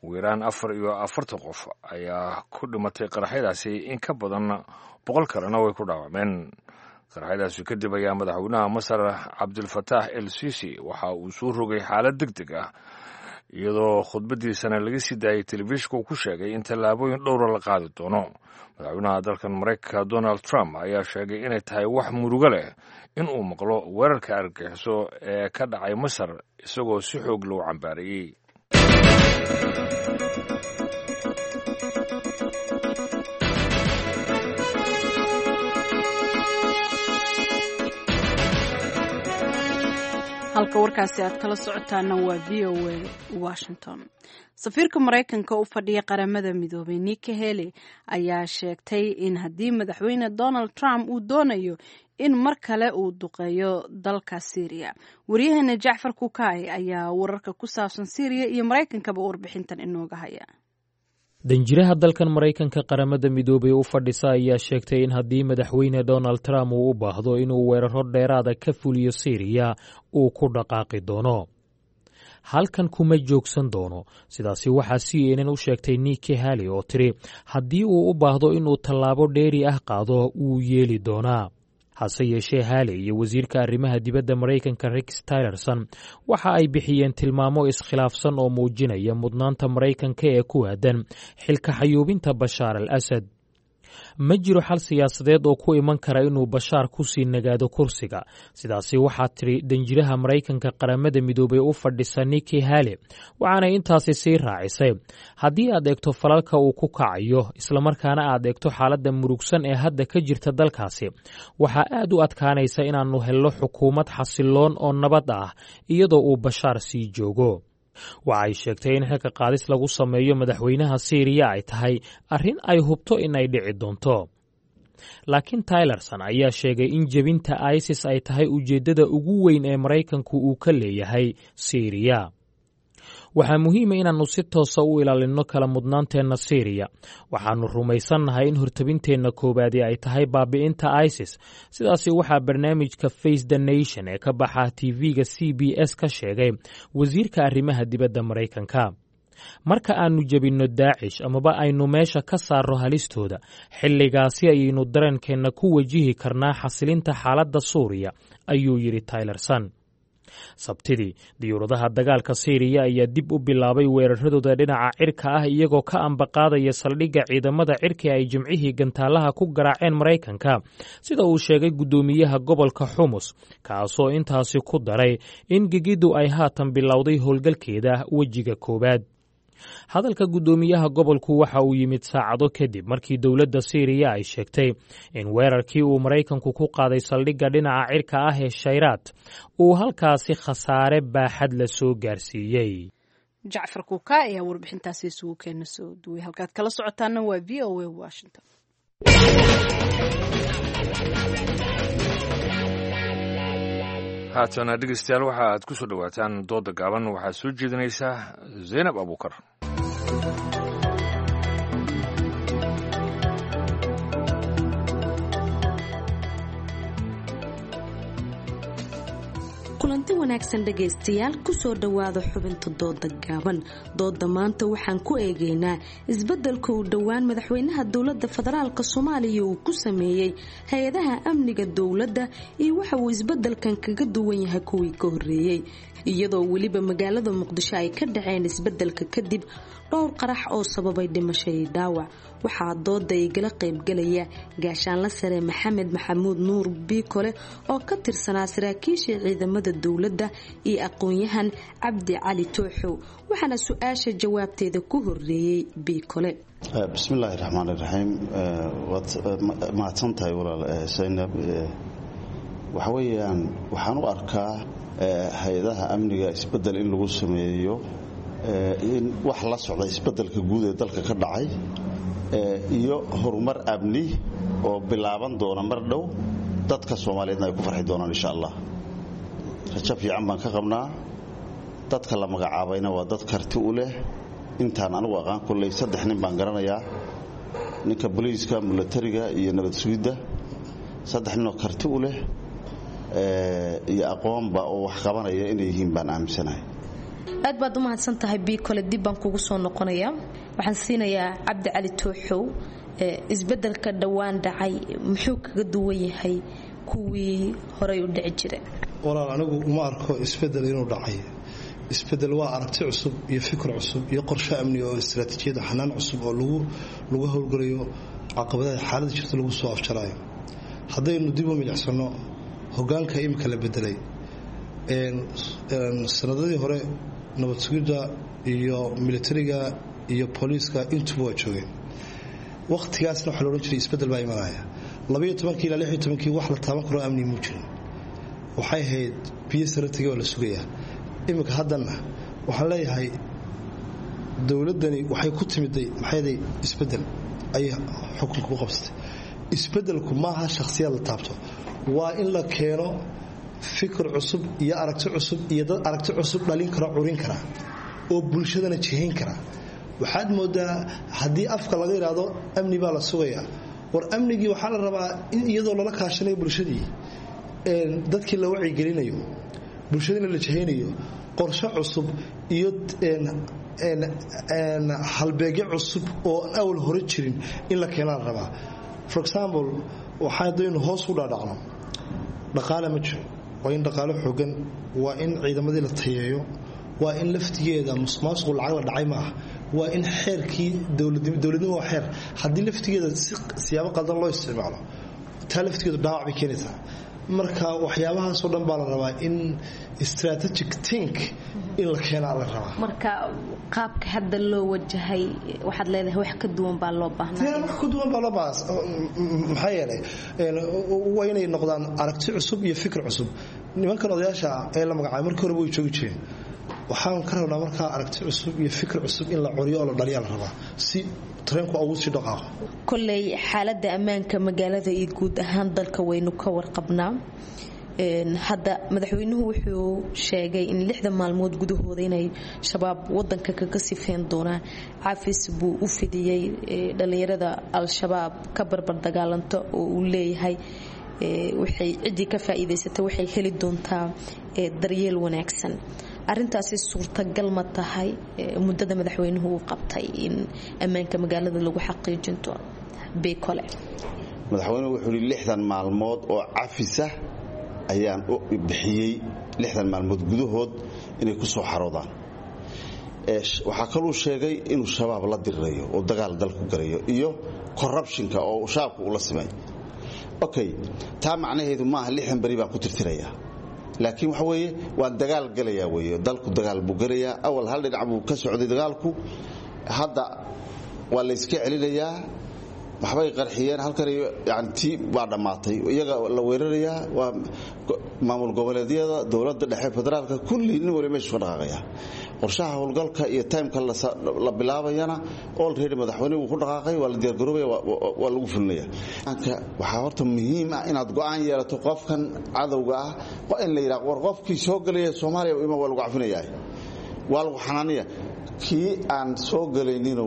Ugu yaraan afar iyo afartan qof ayaa ku dhimatay qaraxyadaasi, in ka badan boqol kalena way ku dhaawacmeen. Qaraxyadaasi kadib ayaa madaxweynaha Masar Cabdilfataax El Sisi waxa uu soo rogay xaalad deg deg ah, iyadoo khudbadiisana laga sii daayay telefishinka uu ku sheegay in tallaabooyin dhowra la qaadi doono. Madaxweynaha dalkan Maraykanka Donald Trump ayaa sheegay inay tahay wax murugo leh in uu maqlo weerarka argagixiso ee ka dhacay Masar, isagoo si xoog loo cambaariyey. Halka warkaasi aad kala socotaana waa V O A Washington. Safiirka Maraykanka u fadhiya Qaramada Midoobay Nikki Haley ayaa sheegtay in haddii madaxweyne Donald Trump uu doonayo in mar kale uu duqeeyo dalka Syria. Waryaheena Jacfar Kukaay ayaa wararka ku saabsan Syria iyo Maraykankaba warbixintan inooga haya. Danjiraha dalkan Maraykanka Qaramada Midoobay u fadhisa ayaa sheegtay in haddii madaxweyne Donald Trump uu u baahdo inuu weeraro dheeraada ka fuliyo Syriya uu ku dhaqaaqi doono, halkan kuma joogsan doono. Sidaasi waxaa C N N u sheegtay Nikki Haley oo tiri haddii uu u baahdo inuu tallaabo dheeri ah qaado wuu yeeli doonaa. Hase yeeshee Haley iyo wasiirka arrimaha dibadda Maraykanka Rex Tillerson waxa ay bixiyeen tilmaamo iskhilaafsan oo muujinaya mudnaanta Maraykanka ee ku aadan xilka xayuubinta Bashaar al Asad. Ma jiro xal siyaasadeed oo ku iman kara inuu Bashaar ku sii nagaado kursiga, sidaasi waxaa tiri danjiraha Maraykanka Qaramada Midoobay u fadhisa Nikki Haley, waxaanay intaasi sii raacisay haddii aad eegto falalka uu ku kacayo islamarkaana aad eegto xaaladda murugsan ee hadda ka jirta dalkaasi, waxaa aad u adkaanaysa inaannu helno xukuumad xasiloon oo nabad ah iyadoo uu Bashaar sii joogo. Waxa ay sheegtay in xilka qaadis lagu sameeyo madaxweynaha Siiriya ay tahay arrin ay hubto in ay dhici doonto. Laakiin Tillerson ayaa sheegay in jebinta ISIS ay tahay ujeeddada ugu weyn ee Maraykanku uu ka leeyahay Siiriya. Waxaa muhiima inaannu si toosa u ilaalinno kala mudnaanteenna Siiriya. Waxaannu rumaysannahay in hortabinteenna koowaadi ay tahay baabi'inta ISIS. Sidaasi waxaa barnaamijka Face the Nation ee ka baxa T V-ga C B S ka sheegay wasiirka arrimaha dibadda Maraykanka. Marka aannu jebinno Daacish amaba aynu meesha ka saarro halistooda, xilligaasi ayaynu dareenkeenna ku wajihi karnaa xasilinta xaaladda Suuriya, ayuu yidhi Tillerson. Sabtidii, diyuuradaha dagaalka Siiriya ayaa dib u bilaabay weeraradooda dhinaca cirka ah, iyagoo ka ambaqaadaya saldhigga ciidamada cirka ay Jimcihii gantaalaha ku garaaceen Maraykanka, sida uu sheegay guddoomiyaha gobolka Xumus, kaasoo intaasi ku daray in gegiddu ay haatan bilowday howlgalkeeda wejiga koowaad. Hadalka guddoomiyaha gobolku waxa uu yimid saacado kadib markii dowladda Siiriya ay sheegtay in weerarkii uu Maraykanku ku qaaday saldhigga dhinaca cirka ah ee Shayraad uu halkaasi khasaare baaxad la soo gaarsiiyey. Jacfar Kuuka ayaa warbixintaasi isugu keena soo duway. Halkaad kala socotaana waa V O A Washington. Haatana dhegeystayaal, waxa aad ku soo dhowaataan dooda gaaban. Waxaa soo jeedinaysaa Zaynab Abuukar. Kulanti wanaagsan dhegaystayaal, kusoo dhowaada xubinta dooda gaaban. Dooda maanta waxaan ku eegaynaa isbeddelka uu dhowaan madaxweynaha dowladda federaalk Soomaaliya uu ku sameeyey hay-adaha amniga dowladda iyo waxa uu isbeddelkan kaga duwan yahay kuwii ka horreeyey, iyadoo weliba magaalada Muqdisho ay ka dhaceen isbeddelka kadib dhowr qarax oo sababay dhimasho iyo dhaawac. Waxaa dooda igala qaybgalaya gaashaanla sare Maxamed Maxamuud Nuur Biikole oo ka tirsanaa saraakiisha ciidamada dowladda iyo aqoon-yahan Cabdi Cali Tooxow, waxaana su-aasha jawaabteeda ku horeeyey Biikole. Bismillaahi raxmaan iraxiim. Waad mahadsan tahay walaal Saynab. Waxa weeyaan, waxaan u arkaa hay-adaha amniga isbedel in lagu sameeyo in wax la socda isbedelka guud ee dalka ka dhacay iyo horumar amni oo bilaaban doona mar dhow, dadka Soomaaliyeedna ay ku farxi doonaan insha Allah. Rajo fiican baan ka qabnaa. Dadka la magacaabayna waa dad karti u leh. Intaan anigu aqaan kulley saddex nin baan garanayaa, ninka booliiska, milatariga iyo nabad sugidda. Saddex ninoo karti u leh iyo aqoonba oo wax qabanaya inay yihiin baan aaminsanahay. Aad baad u mahadsan tahay Biikole, dib baan kugu soo noqonayaa. Waxaan siinayaa Cabdi Cali Tooxow. Isbedelka dhowaan dhacay muxuu kaga duwan yahay kuwii horay u dhici jira? Walaal, anigu uma arko isbedel inuu dhacay. Isbedel waa aragti cusub iyo fikir cusub iyo qorshe amni oo istaraatiijiyada xanaan cusub oo lagu lagu howlgalayo caqabadaha xaaladda jirta lagu soo afjaraayo. Haddaynu dib u milicsano hogaanka imika la bedelay, sanadadii hore nabad sugidda iyo militariga iyo booliiska intuba waa joogeen. Wakhtigaasna waxaa la odhan jiray isbedel baa imanaya. Labaiyo tobankii ilaa lixiyo tobankii wax la taaban karoo amni muu jirin, waxay ahayd biyo sare tegay waa la sugayaa. Iminka haddana waxaan leeyahay dowladdani waxay ku timiday maxayday isbedel ayay xukunka ku qabsatay. Isbedelku maaha shakhsiyaad la taabto, waa in la keeno fikir cusub iyo aragti cusub iyo dad aragti cusub dhalin kara, curin kara oo bulshadana jihayn kara. Waxaad moodaa haddii afka laga yidhaahdo amni baa la sugayaa, war amnigii waxaa la rabaa in iyadoo lala kaashanayo bulshadii, dadkii la wacyigelinayo, bulshadiina la jihaynayo, qorshe cusub iyo halbeegyo cusub oo aan awal hore jirin in la keenaa la rabaa. For example, waxaa haddaynu hoos u dhaadhacno, dhaqaale ma jiro. Waa in dhaqaale xoogan, waa in ciidamadii la tayeeyo, waa in laftigeeda musuqmaasuqu lacag la dhacay maaha, waa in xeerkii dowladnimo waa xeer. Haddii laftigeeda si siyaabo qaldan loo isticmaalo, taa laftigeedu dhaawac bay keenaysaa. Marka waxyaabahaasoo dhan baa la rabaa in strategic think in la keenaa la rabaa. Marka qaabka hadda loo wajahay waxaad leedahay wax ka duwan baa loo baahnaa? Wax ka duwan baa loo baahnaa. Maxaa yeelay, waa inay noqdaan aragti cusub iyo fikir cusub. Nimankan odayaasha ee la magacaabay markii horeba way joogi jireen. Waxaan ka rabnaa markaa aragti cusub iyo fikir cusub in la curiyo oo la dhaliyaa la rabaa si tareenku ugu sii dhaqaaqo. Kolley xaaladda ammaanka magaalada iyo guud ahaan dalka waynu ka warqabnaa. Hadda madaxweynuhu wuxuu sheegay in lixdan maalmood gudahooda inay shabaab wadanka kaga sifeyn doonaan. Cafis buu u fidiyey dhallinyarada al-shabaab ka barbar dagaalanta oo uu leeyahay waxay ciddii ka faa'iidaysatay waxay heli doontaa daryeel wanaagsan. Arintaasi suurtagal ma tahay muddada madaxweynuhu uu qabtay in ammaanka magaalada lagu xaqiijin doono? Beekole. Madaxweynuhu wuxuu yidhi lixdan maalmood oo cafisa ayaan u bixiyey, lixdan maalmood gudahood inay ku soo xaroodaan. Waxaa kaluu sheegay inuu shabaab la dirirayo oo dagaal dalku galayo iyo corruptionka oo shabaabka ula simay. Okay, taa macnaheedu maaha lixdan beri baan ku tirtirayaa, laakiin waxa weeye waan dagaal galayaa weeye. Dalku dagaal buu galayaa. Awal hal dhinac buu ka socday dagaalku, hadda waa la iska celinayaa. Waxbay qarxiyeen halkan, yani tii waa dhammaatay, iyaga la weerarayaa. Waa maamul goboleedyada, dowladda dhexe, federaalka, kulli nin wali meeshu ka dhaqaaqaya. Qorshaha howlgalka iyo timeka la bilaabayana already madaxweyne wuu ku dhaqaaqay, waa la diyaargaroobaya, waa lagu fulinaya. Waxaa horta muhiim ah inaad go'aan yeelato. Qofkan cadowga ah in la yidhaha war qofkii soo gelaya Soomaaliya ima waa lagu cafinayaa, waa lagu xanaanaya. Kii aan soo gelaynino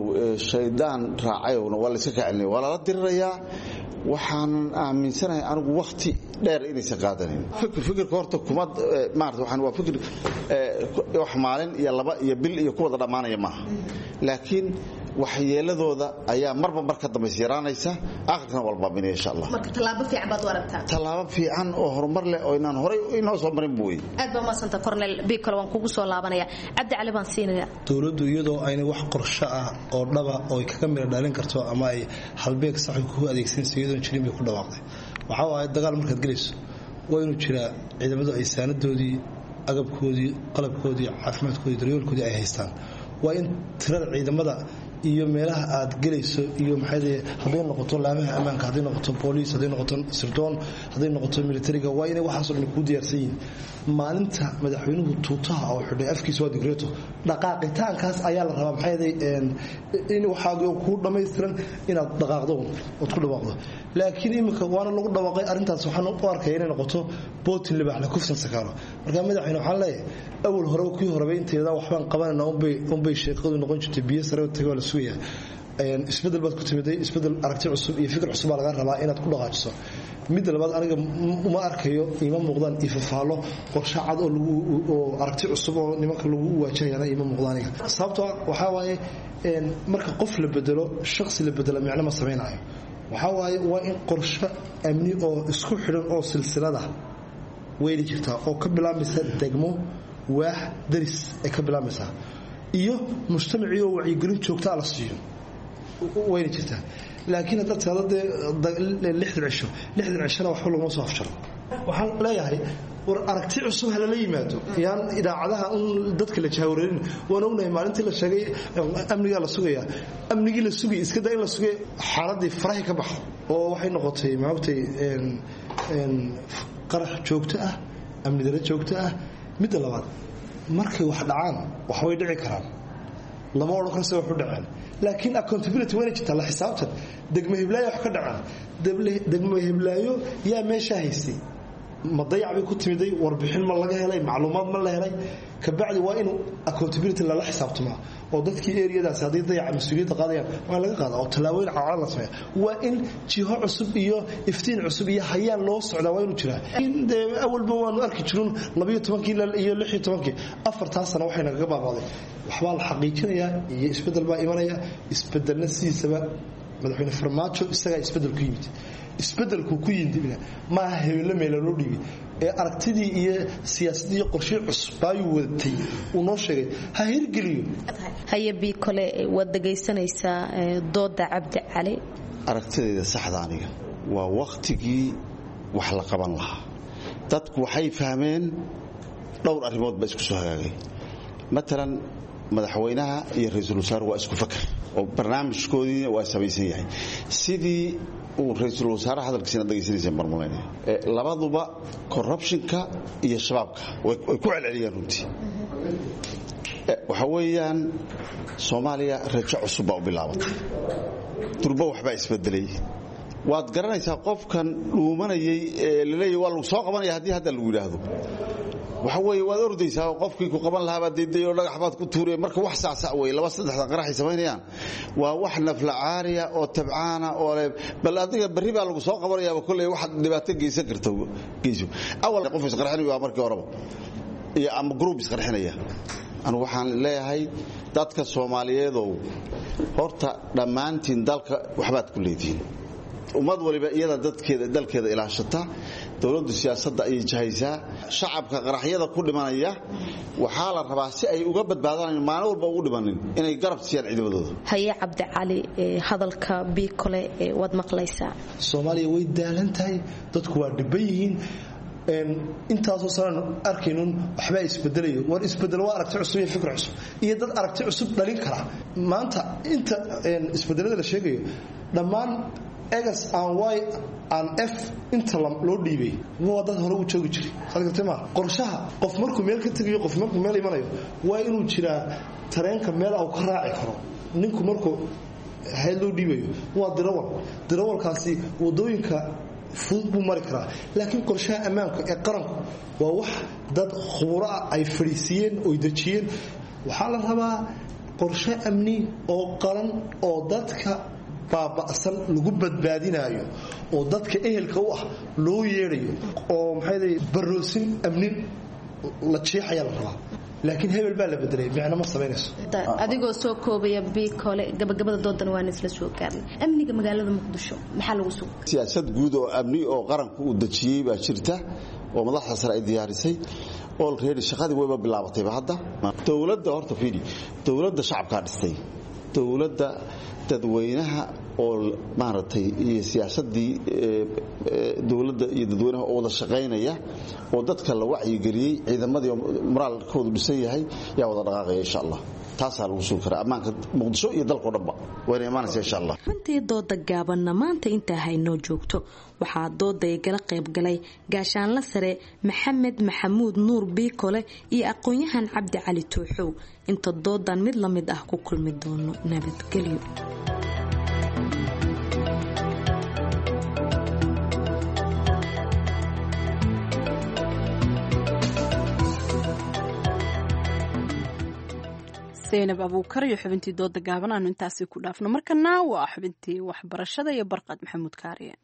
shaydaan raacayowna waa layska kacelinaya, waa lala dirirayaa. Waxaanan aaminsanahay anigu wakhti dheer inaysan qaadanayn. Fikirka horta kuma maarata, waxaan waa fikir wax maalin iyo laba iyo bil iyo ku wada dhammaanaya maaha, laakiin waxyeeladooda ayaa marba mar ka dambaysa yaraanaysa, aakhirkana waa la baabiinaya insha Allah. Marka tallaabo fiican baad u aragtaa? Tallaabo fiican oo horumar leh oo inaan horay inoo soo marin buu wey. Aad baa umadsanta Cornel Bikole, waan kugu soo laabanaya. Cabdi Cali baan siinaya. Dowladdu iyadoo aynay wax qorsho ah oo dhaba oo ay kaga mira dhalin karto ama ay halbeeg sax ku adeegsanayso iyadoon jirin bay ku dhawaaqday. Waxaa waaye dagaal markaad gelayso waa inuu jiraa ciidamadu ay saanadoodii, agabkoodii, qalabkoodii, caafimaadkoodii, daryoolkoodii ay haystaan. Waa in tirada ciidamada iyo meelaha aad gelayso iyo maxay hadday noqoto laamaha ammaanka, hadday noqoto booliis, hadday noqoto sirdoon, hadday noqoto militariga, waa inay waxaasoo dhan kuu diyaarsan yihiin. Maalinta madaxweynuhu tuutaha oo xidhay afkiisa waa digreeto, dhaqaaqitaankaas ayaa la rabaa. Maxay in waxaagi kuu dhammaystiran inaad dhaqaaqdo ood ku dhawaaqdo. Laakiin iminka waana lagu dhawaaqay arrintaas, waxaan u arkaya inay noqoto bootin libaax la kufsan sakaaro. Marka madaxweyne waxaan leeyahay awal horeba kuwii horeba inteeda waxbaan qabanayna unbay unbay sheekadu noqon jirtay, biyo sare tagay waa la sugayaa. Isbedel baad ku timiday, isbedel aragti cusub iyo fikir cusub baa laga rabaa inaad ku dhaqaajiso. Midda labaad, aniga uma arkayo, ima muuqdaan ifafaalo qorshe cad oo lagu oo aragti cusub oo nimanka lagu waajahayana ima muuqdaan aniga. Sababtoo waxaa waaye marka qof la bedelo, shakhsi la bedelo, micno ma samaynayo. Waxaa waaye waa in qorshe amni oo isku xidhan oo silsilada weyli jirtaa oo ka bilaabmaysa degmo, waax, daris ay ka bilaabmaysaa, iyo mujtamacii oo wacyigelin joogtaa la siiyo wayna jirtaa. Laakiin haddaad tirahdo dee lixdan cisho, lixdan cishona waxba laguma soo afjaro. Waxaan leeyahay war aragti cusub ha lala yimaado, yaan idaacadaha un dadka la jahwareerin. Waan ognahay maalintii la sheegay amnigaa la sugayaa, amnigii la sugay iska daa in la sugay, xaaladii farahi ka baxo oo waxay noqotay maogtay qarax joogto ah, amni daro joogto ah. Midda labaad, markay wax dhacaan wax way dhici karaan, lama odhan karo se wax u dhaceen, laakiin accountability wayna jirtaa, la xisaabtan. Degmo hiblaayo wax ka dhacaan, degmo hiblaayo yaa meeshaa haystay, ma dayac bay ku timiday, warbixin ma laga helay, macluumaad ma la helay? Kabacdi waa inuu accountability lala xisaabtamaa oo dadkii eriyadaasi hadday dayaca mas-uuliyadda qaadayaan waa in laga qaada oo tallaabooyin cadcad la sameeya. Waa in jiho cusub iyo iftiin cusub iyo hayaan loo socdaa waa inuu jiraa. Dee awalba waanu arki jirun labayo tobankii iyo lixiyo tobankii afartaa sano waxay nagaga baabaaday. Waxbaa la xaqiijinayaa iyo isbeddel baa imanaya. Isbeddelna sidiisaba madaxweyne Farmaajo isagaa isbeddel ku yimid, isbedelku ku yimid maaha hebello meela loo dhiibay ee aragtidii iyo siyaasadii iyo qorshii cusub baayuu wadatay uu noo sheegay ha hirgeliyo. Haye Biikole, waad dhegaysanaysaa dooda Cabdi Cali. Aragtidayda saxda aniga waa wakhtigii wax la qaban lahaa. Dadku waxay fahmeen dhowr arrimood baa isku soo hagaagay. Matalan madaxweynaha iyo ra-iisul wasaaruhu waa isku fakar oo barnaamijkoodiina waa samaysan yahay. Sidii uu ra-iisul wasaaraha hadalkiisina dhegaysanayseen marmalaynaya, labaduba corruptionka iyo shabaabka way ku celceliyeen runtii. Waxa weeyaan Soomaaliya rajo cusub baa u bilaabatay, durbo waxbaa isbedelay, Waad garanaysaa qofkan dhuumanayay ee laleeyahy waa lagu soo qabanaya haddii hadda lagu yidhaahdo, waxa weeye waad ordaysaa oo qofkii ku qaban lahaa baad diiday oo dhagax baad ku tuuraya. Marka wax sacsac wey, laba saddexda qaraxay samaynayaan waa wax nafla caariya oo tabcaana oo le bal adiga berri baa lagu soo qabanayaaba kolley waxaad dhibaato geysan karta geyso. Awal qof isqarxinayo waa markii horeba iyo ama group isqarxinaya. Anigu waxaan leeyahay dadka Soomaaliyeedow, horta dhammaantiin dalka waxbaad ku leedihiin. Ummad waliba iyada dadkeeda dalkeeda ilaashata, dowladdu siyaasadda ayay jahaysaa. Shacabka qaraxyada ku dhimanaya waxaa la rabaa si ay uga badbaadaan maalin walba ugu dhimanin inay garab siiyaan ciidamadooda. Haye Cabdicali, hadalka Biikole waad maqlaysaa. Soomaaliya way daalan tahay, dadku waa dhiban yihiin. Intaasoo sanaan arkaynun waxbaa isbedelayo. War isbedel waa aragti cusub iyo fikir cusub iyo dad aragti cusub dhalin kara. Maanta inta isbedelada la sheegayo dhammaan egas aan y aan f inta loo dhiibay waa dad hore u joogi jiray. Saad ma qorshaha qof markuu meel ka tegayo, qof markuu meel imanayo, waa inuu jiraa tareenka meel uu ka raaci karo. Ninku markuu hayad loo dhiibayo waa dirawal, dirawalkaasi wadooyinka fudud buu mari karaa. Laakiin qorshaha ammaanka ee qaranku waa wax dad khuburo ah ay fadhiisiiyeen oy dejiyeen. Waxaa la rabaa qorshe amni oo qaran oo dadka baaba'san lagu badbaadinaayo oo dadka ehelka u ah loo yeedhayo oo maxay baroosin amni la jeexayaa la rabaa. Laakiin hebel baa la bedelay micno ma samaynayso. Adigoo soo koobaya Biikole, gabagabada doodan waan isla soo gaarnay. Amniga magaalada Muqdisho maxaa lagu sugi? Siyaasad guud oo amni oo qaranku uu dejiyey baa jirta oo madaxda sare ay diyaarisay. Already shaqadii wayba bilaabatayba hadda. Dowladda horta fiidi, dowladda shacabkaa dhistay, dowladda dadweynaha oo maaragtay iyo siyaasadii dowladda iyo dadweynaha oo wada shaqaynaya oo dadka la wacyigeliyey, ciidamadii moraalkoodu dhisan yahay yaa wada dhaqaaqaya insha Allah. Taasaa lagu sugi karaa ammaanka Muqdisho iyo dalkao dhanba wayna imaanaysa insha Allah. Runtii dooda gaabanna maanta intaa haynoo joogto. Waxaa dooda igala qaybgalay gaashaanla sare Maxamed Maxamuud Nuur Biikole iyo aqoon-yahan Cabdi Cali Tuuxow. Inta doodan mid la mid ah ku kulmi doono, nabadgelyo. Zaynab Abuukar iyo xubintii dooda gaaban aanu intaasi ku dhaafno. Markana waa xubintii waxbarashada iyo Barqad Maxamuud Kaariye.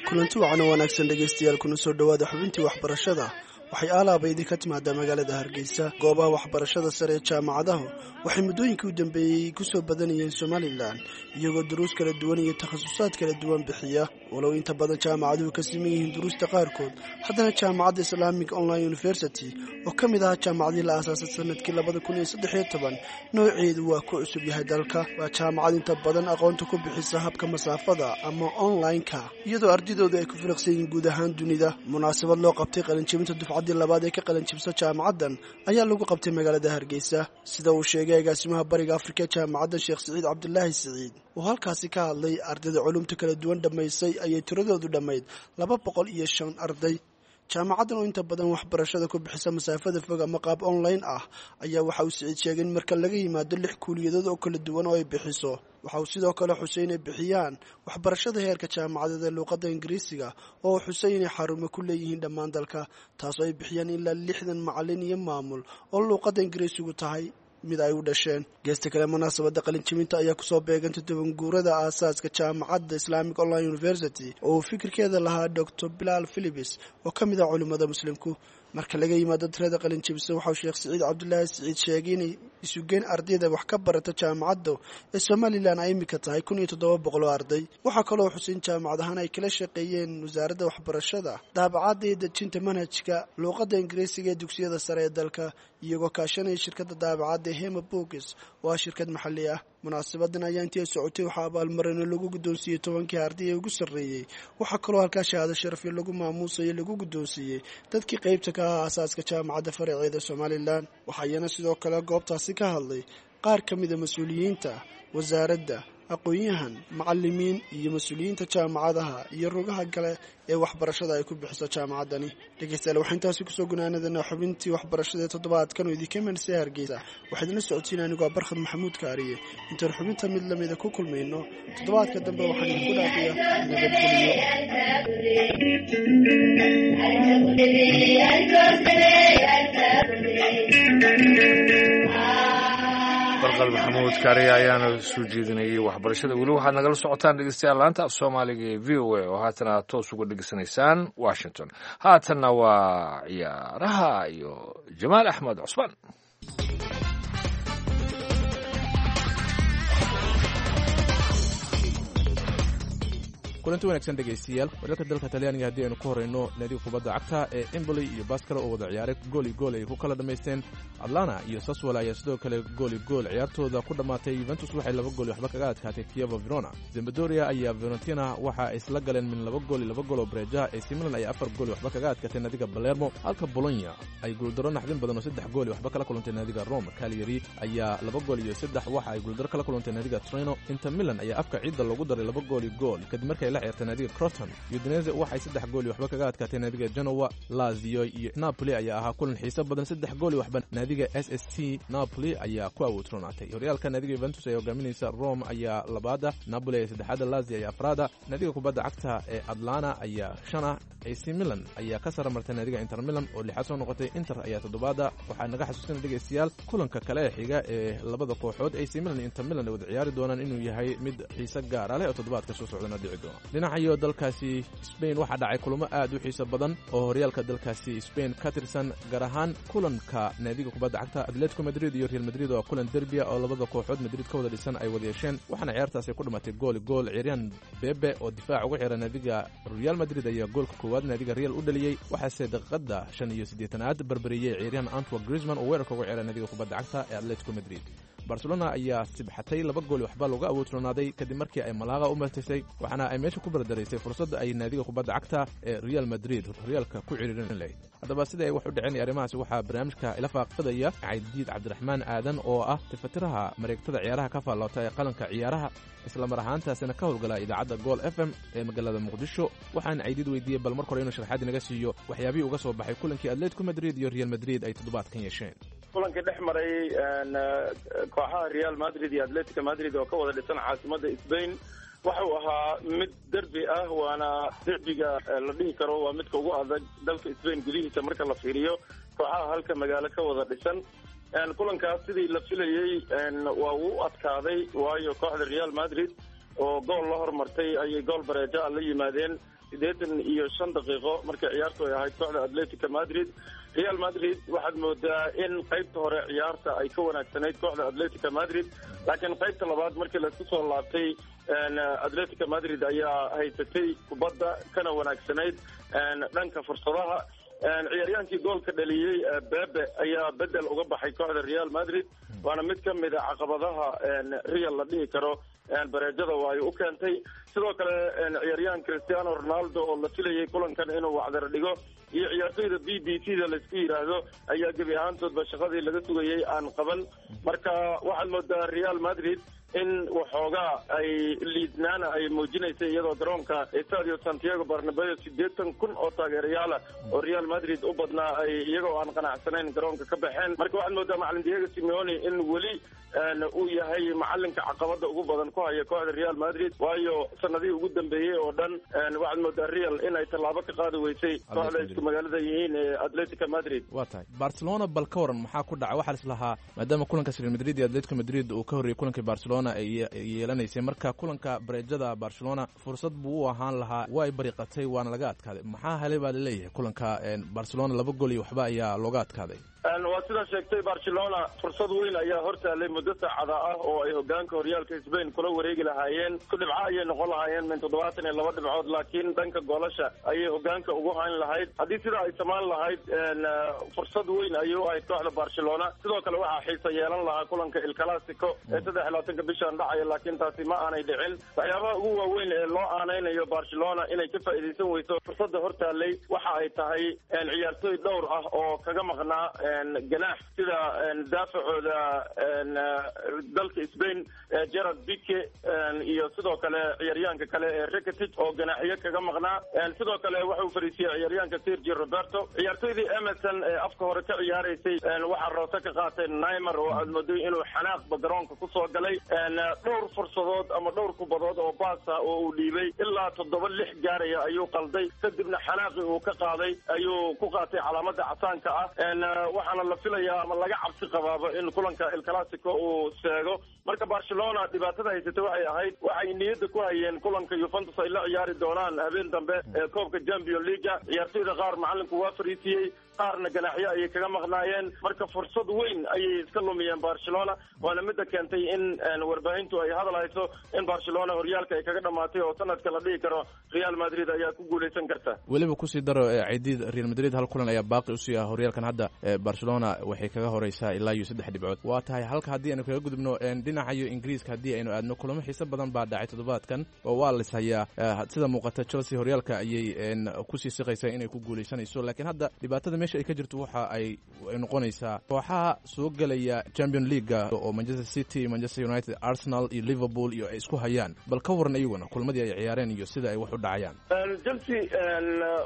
Kulanti wacan oo wanaagsan dhegaystayaal, kuna soo dhowaada xubintii waxbarashada. Waxay aalaaba idinka timaadaa magaalada Hargeysa. Goobaha waxbarashada sare ee jaamacadahu waxay muddooyinkii u dambeeyey ku soo badanayeen Somalilan, iyagoo duruus kala duwan iyo takhasusaad kala duwan bixiya. Walow inta badan jaamacaduhu ka siman yihiin duruusta qaarkood, haddana jaamacadda Islamic Online University oo ka mid ahaa jaamacadii la aasaasay sanadkii labada kun iyo saddex iyo toban, nooceedu waa ku cusub yahay dalka. Waa jaamacad inta badan aqoonta ku bixisa habka masaafada ama online-ka, iyadoo ardidoodu ay ku filiqsan yihiin guud ahaan dunida. Munaasabad loo qabtay qalinjebinta dufcad labaad ee ka qalinjibsa jaamacaddan ayaa lagu qabtay magaalada Hargeysa. Sida uu sheegay agaasimaha Bariga Afrika ee jaamacadda, Sheekh Siciid Cabdilaahi Siciid, oo halkaasi ka hadlay, ardayda culumta kala duwan dhammaysay ayay tiradoodu dhammayd laba boqol iyo shan arday. Jaamacaddan oo inta badan waxbarashada ku bixisa masaafada fog ama qaab online ah ayaa waxa uu Siciid sheegay in marka laga yimaado lix kuuliyadood oo kala duwan oo ay bixiso, waxa uu sidoo kale xusay inay bixiyaan waxbarashada heerka jaamacadeed ee luuqadda Ingiriisiga, oo uu xusay inay xarumo ku leeyihiin dhammaan dalka, taasoo ay bixiyaan ilaa lixdan macallin iyo maamul oo luuqadda Ingiriisigu tahay mid ay u dhasheen. Geesta kale, munaasabadda qalinjibinta ayaa kusoo beegantay tobanguurada aasaaska jaamacadda Islamic Online University oo uu fikirkeeda lahaa Doctor Bilaal Philibis oo ka mid ah culimmada muslimku. Marka laga yimaado tirada qalinjibisa, waxauu Sheekh Siciid Cabdulaahi Siciid sheegay inay isugeen ardayda wax ka barata jaamacadda ee Somalilan ay imika tahay kun iyo toddoba boqol oo arday. Waxaa kaloo xusin jaamacad ahaan ay kala shaqeeyeen wasaaradda waxbarashada daabacadda iyo dejinta manhajka luuqadda Ingiriisiga ee dugsiyada sare ee dalka, iyagoo kaashanaya shirkadda daabacadda Hema Books oo ah shirkad maxalli ah. Munaasabadan ayaa intii ay socotay waxaa abaalmarino lagu guddoonsiiyey tobankii arday ee ugu sarreeyey. Waxaa kaloo halkaa shahaado sharafyo lagu maamuusayo lagu guddoonsiiyey dadkii qaybta ka ahaa aasaaska jaamacadda faraceeda Somalilan. Waxaa iyana sidoo kale goobtaasi ka hadlay qaar ka mida mas-uuliyiinta wasaaradda, aqoon-yahan, macalimiin iyo mas-uuliyiinta jaamacadaha iyo rugaha kale ee waxbarashada ay ku bixiso jaamacaddani. Dhegeystayaal, waxaa intaasi kusoo gunaanadana xubintii waxbarashada ee toddobaadkan oo idinka imanaysa Hargeysa. Waxaa idinla socodsiinaya anigoo ah Barkhad Maxamuud Kaariye. Intaan xubinta mid lamida ku kulmayno toddobaadka dambe, waxaan idinku dhaafiya nabadgelyo. Barqal Maxamuud Kaariye ayaana soo jeedinayay waxbarashada. Weli waxaad nagala socotaan, dhegeystayaal, laanta af Soomaaliga ee V O A oo haatana aad toos uga dhegeysanaysaan Washington. Haatanna waa ciyaaraha iyo Jamaal Axmed Cusmaan. Kulanti wanaagsan, dhegaystayaal. Wararka dalka Talyaaniga haddii aynu ku horrayno, naadiga kubadda cagta ee Emboli iyo Baskara oo wada ciyaaray gooli gool ay ku kala dhammaysteen. Atlana iyo Saswala ayaa sidoo kale gooli gool ciyaartooda ku dhammaatay. Yuventus waxay laba gool waxba kaga adkaatay Kievo Verona. Zambadoria ayaa Fiorentina waxa ay isla galeen min laba gool iyo laba gool oo bareejaha. A C Milan ayaa afar gool waxba kaga adkaatay naadiga Palermo, halka Bologna ay guuldaro naxdin badan oo saddex gool waxba kala kulantay naadiga Rome. Cagliari ayaa laba gool iyo saddex waxa ay guuldaro kala kulantay naadiga Torino. Inter Milan ayaa afka ciidda loogu daray laba gool iyo gool kadib markay la ciyaartay naadiga Croton. Udinese waxay saddex gool iyo waxba kaga adkaatay naadiga Genoa. Lazio iyo Napoli ayaa ahaa kulan xiiso badan, saddex gool iyo waxba naadiga S S C Napoli ayaa ku awoodroonaatay. Horyaalka naadiga Juventus ayaa hogaaminaysa, Rome ayaa labaada, Napoli ayaa saddexaada, Lazio ayaa afraada, naadiga kubadda cagta ee Atlanta ayaa shana, A C Milan ayaa ka sara martay naadiga Inter Milan oo lixaad soo noqotay, Inter ayaa toddobaada. Waxaa naga xasuusina, dhegaystayaal, kulanka kale ee xiga ee labada kooxood A C Milan iyo Inter Milan ay wada ciyaari doonaan inuu yahay mid xiise gaara leh oo toddobaadka soo socdana dhici doona. Dhinacayo dalkaasi Spain waxaa dhacay kulamo aad u xiiso badan oo horyaalka dalkaasi Spain ka tirsan, gaar ahaan kulanka naadiga kubadda cagta Atletico Madrid iyo Real Madrid oo kulan derbia oo labada kooxood Madrid ka wada dhisan ay wada yeesheen, waxaana ciyaartaasi ku dhamatay gool gool. Ciyaaryahan Bebe oo difaac uga xiran naadiga Real Madrid ayaa goolka koowaad naadiga Real u dhaliyey, waxaase daqiiqada shan iyo siddeetanaad barbariyey ciyaaryahan Antoine Griezmann oo weerarka uga xiran naadiga kubadda cagta ee Atletico Madrid. Barcelona ayaa sibxatay, laba gool waxba looga awoodroonaaday kadib markii ay Malaaqa u martisay, waxaana ay meesha ku bardaraysay fursadda ay naadiga kubadda cagta ee Real Madrid horyaalka ku ciriirin lahayd. Haddaba sida ay wax u dhaceen arrimahaasi waxaa barnaamijka ila faaqfadaya Caydiid Cabdiraxmaan Aadan oo ah tifatiraha mareegtada ciyaaraha ka faalloota ee Qalanka Ciyaaraha, isla mar ahaantaasina ka howlgala idaacadda Gool F M ee magaalada Muqdisho. Waxaan Caydiid weydiiyey bal marka hore inuu sharxaad inaga siiyo waxyaabihii uga soo baxay kulankii Atletico Madrid iyo Real Madrid ay toddobaadkan yeesheen. Kulankii dhex maray kooxaha Real Madrid iyo Atletico Madrid oo ka wada dhisan caasimadda Spain waxa uu ahaa mid derbi ah, waana derbiga la dhihi karo waa midka ugu adag dalka Spain gudihiisa marka la fiiriyo kooxaha halka magaalo ka wada dhisan. Kulankaas sidii la filayey waa uu adkaaday, waayo kooxda Real Madrid oo gool la hormartay ayay gool bareeja la yimaadeen siddeetan iyo shan daqiiqo markay ciyaartu ay ahayd kooxda Atletico Madrid. Real Madrid waxaad moodaa in qaybta hore ciyaarta ay ka wanaagsanayd kooxda Atletico Madrid, laakiin qaybta labaad markii laisku soo laabtay Atletico Madrid ayaa haysatay kubadda kana wanaagsanayd dhanka fursadaha. Ciyaaryaankii goolka dhaliyey Bebe ayaa bedel uga baxay kooxda Real Madrid, waana mid ka mid a caqabadaha Real la dhihi karo bareejada waa ay u keentay. Sidoo kale ciyaaryahan Cristiano Ronaldo oo la filayay kulankan inuu wacdar dhigo iyo ciyaartoyda B B C da laisku yidhaahdo ayaa gebi ahaantoodba shaqadii laga sugayay aan qaban. Marka waxaad moodaa Real Madrid in waxoogaa ay liidnaana ay muujinaysay, iyadoo garoonka Estadio Santiago Bernabeu siddeetan kun oo taageerayaala oo Real Madrid u badnaa ay iyagoo aan qanacsanayn garoonka ka baxeen. Marka waxaad moodaa macalin Diego Simeone in weli uu yahay macalinka caqabada ugu badan ku haya kooxda Real Madrid, waayo sanadihii ugu dambeeyey oo dhan waxaad moodaa Real in ay tallaabo ka qaadi weysay kooxda isku magaalada yihiin ee Atletico Madrid. Waa tahay. Barcelona bal ka waran, maxaa ku dhacay? Waxaa lislahaa maadaama kulankaas Real Madrid iyo Atletico Madrid uu ka horreeyey kulankii Barcelona ay yeelanaysay, marka kulanka bareejada Barcelona fursad buu u ahaan lahaa, way bariqatay waana laga adkaaday. Maxaa helay baa laleeyahay kulanka Barcelona? Laba gool iyo waxba ayaa looga adkaaday. Waa sidaa sheegtay, Barcelona fursad weyn ayaa hortaalay muddo saacada ah oo ay hogaanka horyaalka Spain kula wareegi lahaayeen. Isku dhibco ayay noqon lahaayeen min toddobaatan iyo laba dhibcood, laakiin dhanka goolasha ayay hogaanka ugu hayn lahayd. Haddii sidaa ay samaan lahayd fursad weyn ayay u ahayd kooxda Barcelona. Sidoo kale waxaa xiisa yeelan lahaa kulanka El Clasico ee saddex iyo labaatanka bishan dhacaya, laakiin taasi ma aanay dhicin. Waxyaabaha ugu waaweyn ee loo aanaynayo Barcelona inay ka faa'iidaysan weyso fursadda hortaalay waxa ay tahay ciyaartooy dhowr ah oo kaga maqnaa ganaax, sida daafacooda dalka Spain Gerard Pique iyo sidoo kale ciyaaryahanka kale ee Rakitic oo ganaaxyo kaga maqnaa. Sidoo kale waxa uu fariisiyey ciyaaryahanka Sergio Roberto. Ciyaartoydii Emerson ee afka hore ka ciyaaraysay waxaa roose ka qaatay Neymar oo aad mooday inuu xanaaqba garoonka kusoo galay. Dhowr fursadood ama dhowr kubadood oo baasa oo uu dhiibay ilaa toddoba lix gaaraya ayuu qalday, kadibna xanaaqii uu ka qaaday ayuu ku qaatay calaamada casaanka ah. Waxaana la filayaa ama laga cabsi qabaaba in kulanka El Clasico uu seego. Marka Barcelona dhibaatada haysatay waxay ahayd waxay niyadda ku hayeen kulanka Juventus ay la ciyaari doonaan habeen dambe ee koobka Champions League. Ciyaartoyda qaar macalinku waa fariisiyey, qaarna ganaaxyo ayay kaga maqnaayeen. Marka fursad weyn ayay iska lumiyeen Barcelona, waana midda keentay in warbaahintu ay hadal hayso in Barcelona horyaalka ay kaga dhamaatay oo sanadka la dhihi karo Real Madrid ayaa ku guuleysan karta. Weliba kusii daro ciidid Real Madrid hal kulan ayaa baaqi usii ah horyaalkan hadda. Barcelona waxay kaga horeysaa ilaa iyo saddex dhibcood. Waa tahay halka haddii aynu kaga gudubno dhinaca iyo Ingiriiska, haddii aynu aadno kulamo xiiso badan baa dhacay toddobaadkan oo waa la ishayaa. Sida muuqata Chelsea horyaalka ayay kusii siqaysaa inay ku guuleysanayso, laakiin hadda dhibaatada meesha ay ka jirto waxa ay noqonaysaa kooxaha soo gelaya Champion League oo Manchester City, Manchester United, Arsenal iyo Liverpool iyo ay isku hayaan. Bal ka waran iyaguna kulmadii ay ciyaareen iyo sida ay wax u dhacayaan. Chelsea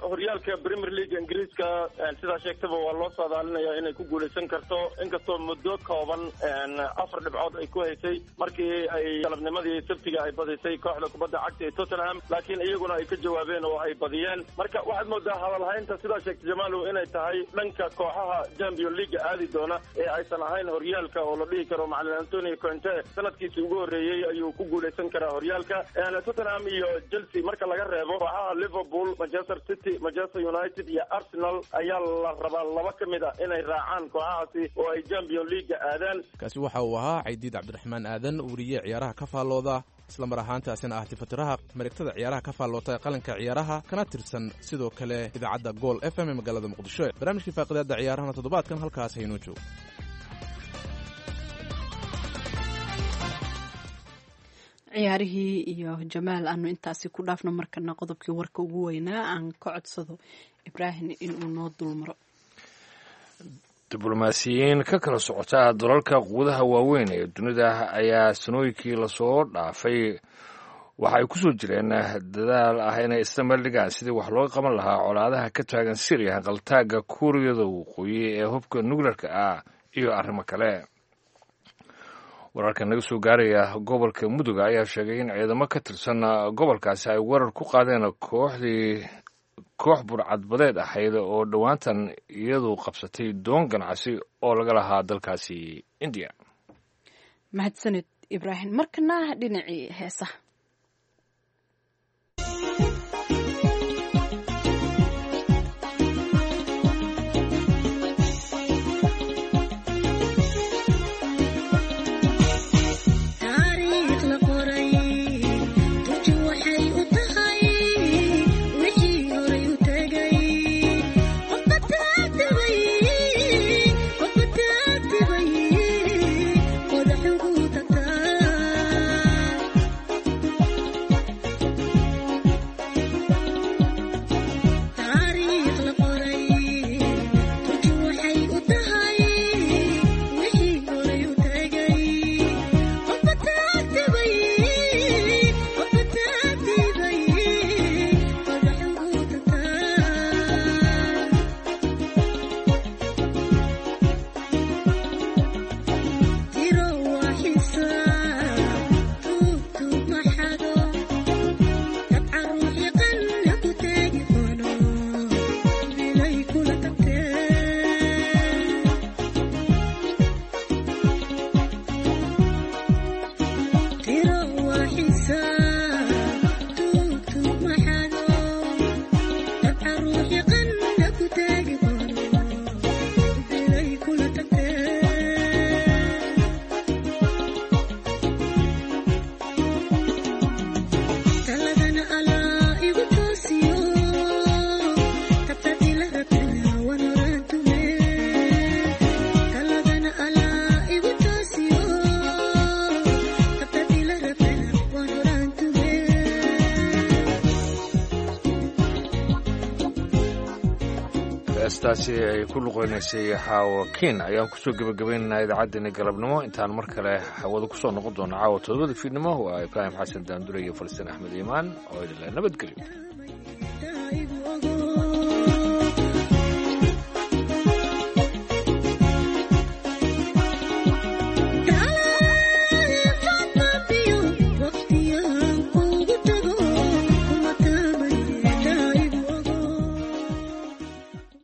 horyaalka Premier League Ingiriiska sidaa sheegtaba waa loo saadaalinayaa inay ku guuleysan karto, inkastoo muddo kooban afar dhibcood ay ku haysay markii ay galabnimadii sabtiga ay badisay kooxda kubadda cagta ee Tottenham, laakiin iyaguna ay ka jawaabeen oo ay badiyeen. Marka waxaad moodaa hadalhaynta sidaa sheegtay Jamaalow inay tahay dhanka kooxaha Champions League aadi doona ee aysan ahayn horyaalka oo la dhihi karo macallin Antonio Conte sanadkiisii ugu horreeyey ayuu ku guuleysan karaa horyaalka. Tottenham iyo Chelsea marka laga reebo kooxaha Liverpool, Manchester City, Manchester United iyo Arsenal ayaa la rabaa laba ka mid ah inay raacaan kooxahaasi oo ay Champions League aadaan. Kaasi waxa uu ahaa Caydiid Cabdiraxmaan Aadan, weriye ciyaaraha ka faallooda, isla mar ahaantaasina ah tifatiraha mareegtada ciyaaraha ka faalloota ee qalinka ciyaaraha, kana tirsan sidoo kale idaacadda Gool F M ee magaalada Muqdisho. Barnaamijkii faaqidaadda ciyaarahana toddobaadkan halkaas haynoo joogo. Ciyaarihii iyo Jamaal aanu intaasi ku dhaafno. Markana qodobkii warka ugu weynaa aan ka codsado Ibraahim inuu noo dulmaro. Diblomaasiyiin ka kala socota dalalka quwadaha waaweyn ee dunida ayaa sanooyinkii lasoo dhaafay waxa ay ku soo jireen dadaal ah inay isla meel dhigaan sidii wax looga qaban lahaa colaadaha ka taagan Syriya, hanqaltaagga Kuuriyada Waqooyi ee hubka nukleerka ah iyo arrimo kale. Wararka naga soo gaaraya gobolka Muduga ayaa sheegay in ciidamo ka tirsan gobolkaasi ay weerar ku qaadeen kooxdii koox burcadbadeed ahayd oo dhowaantan iyadu qabsatay doon ganacsi oo laga lahaa dalkaasi Indiya. Mahadsanid Ibraahim. Markana dhinacii heesaha. Heestaasi ay ku luqeynaysay Xaawo Kiin ayaan kusoo gebagabaynaynaa idaacaddeenna galabnimo. Intaan mar kale hawada kusoo noqon doona caawa todobada fiidnimo, waa Ibraahim Xasan Daandure iyo Falastiin Axmed Iimaan oo idinle nabadgelyo.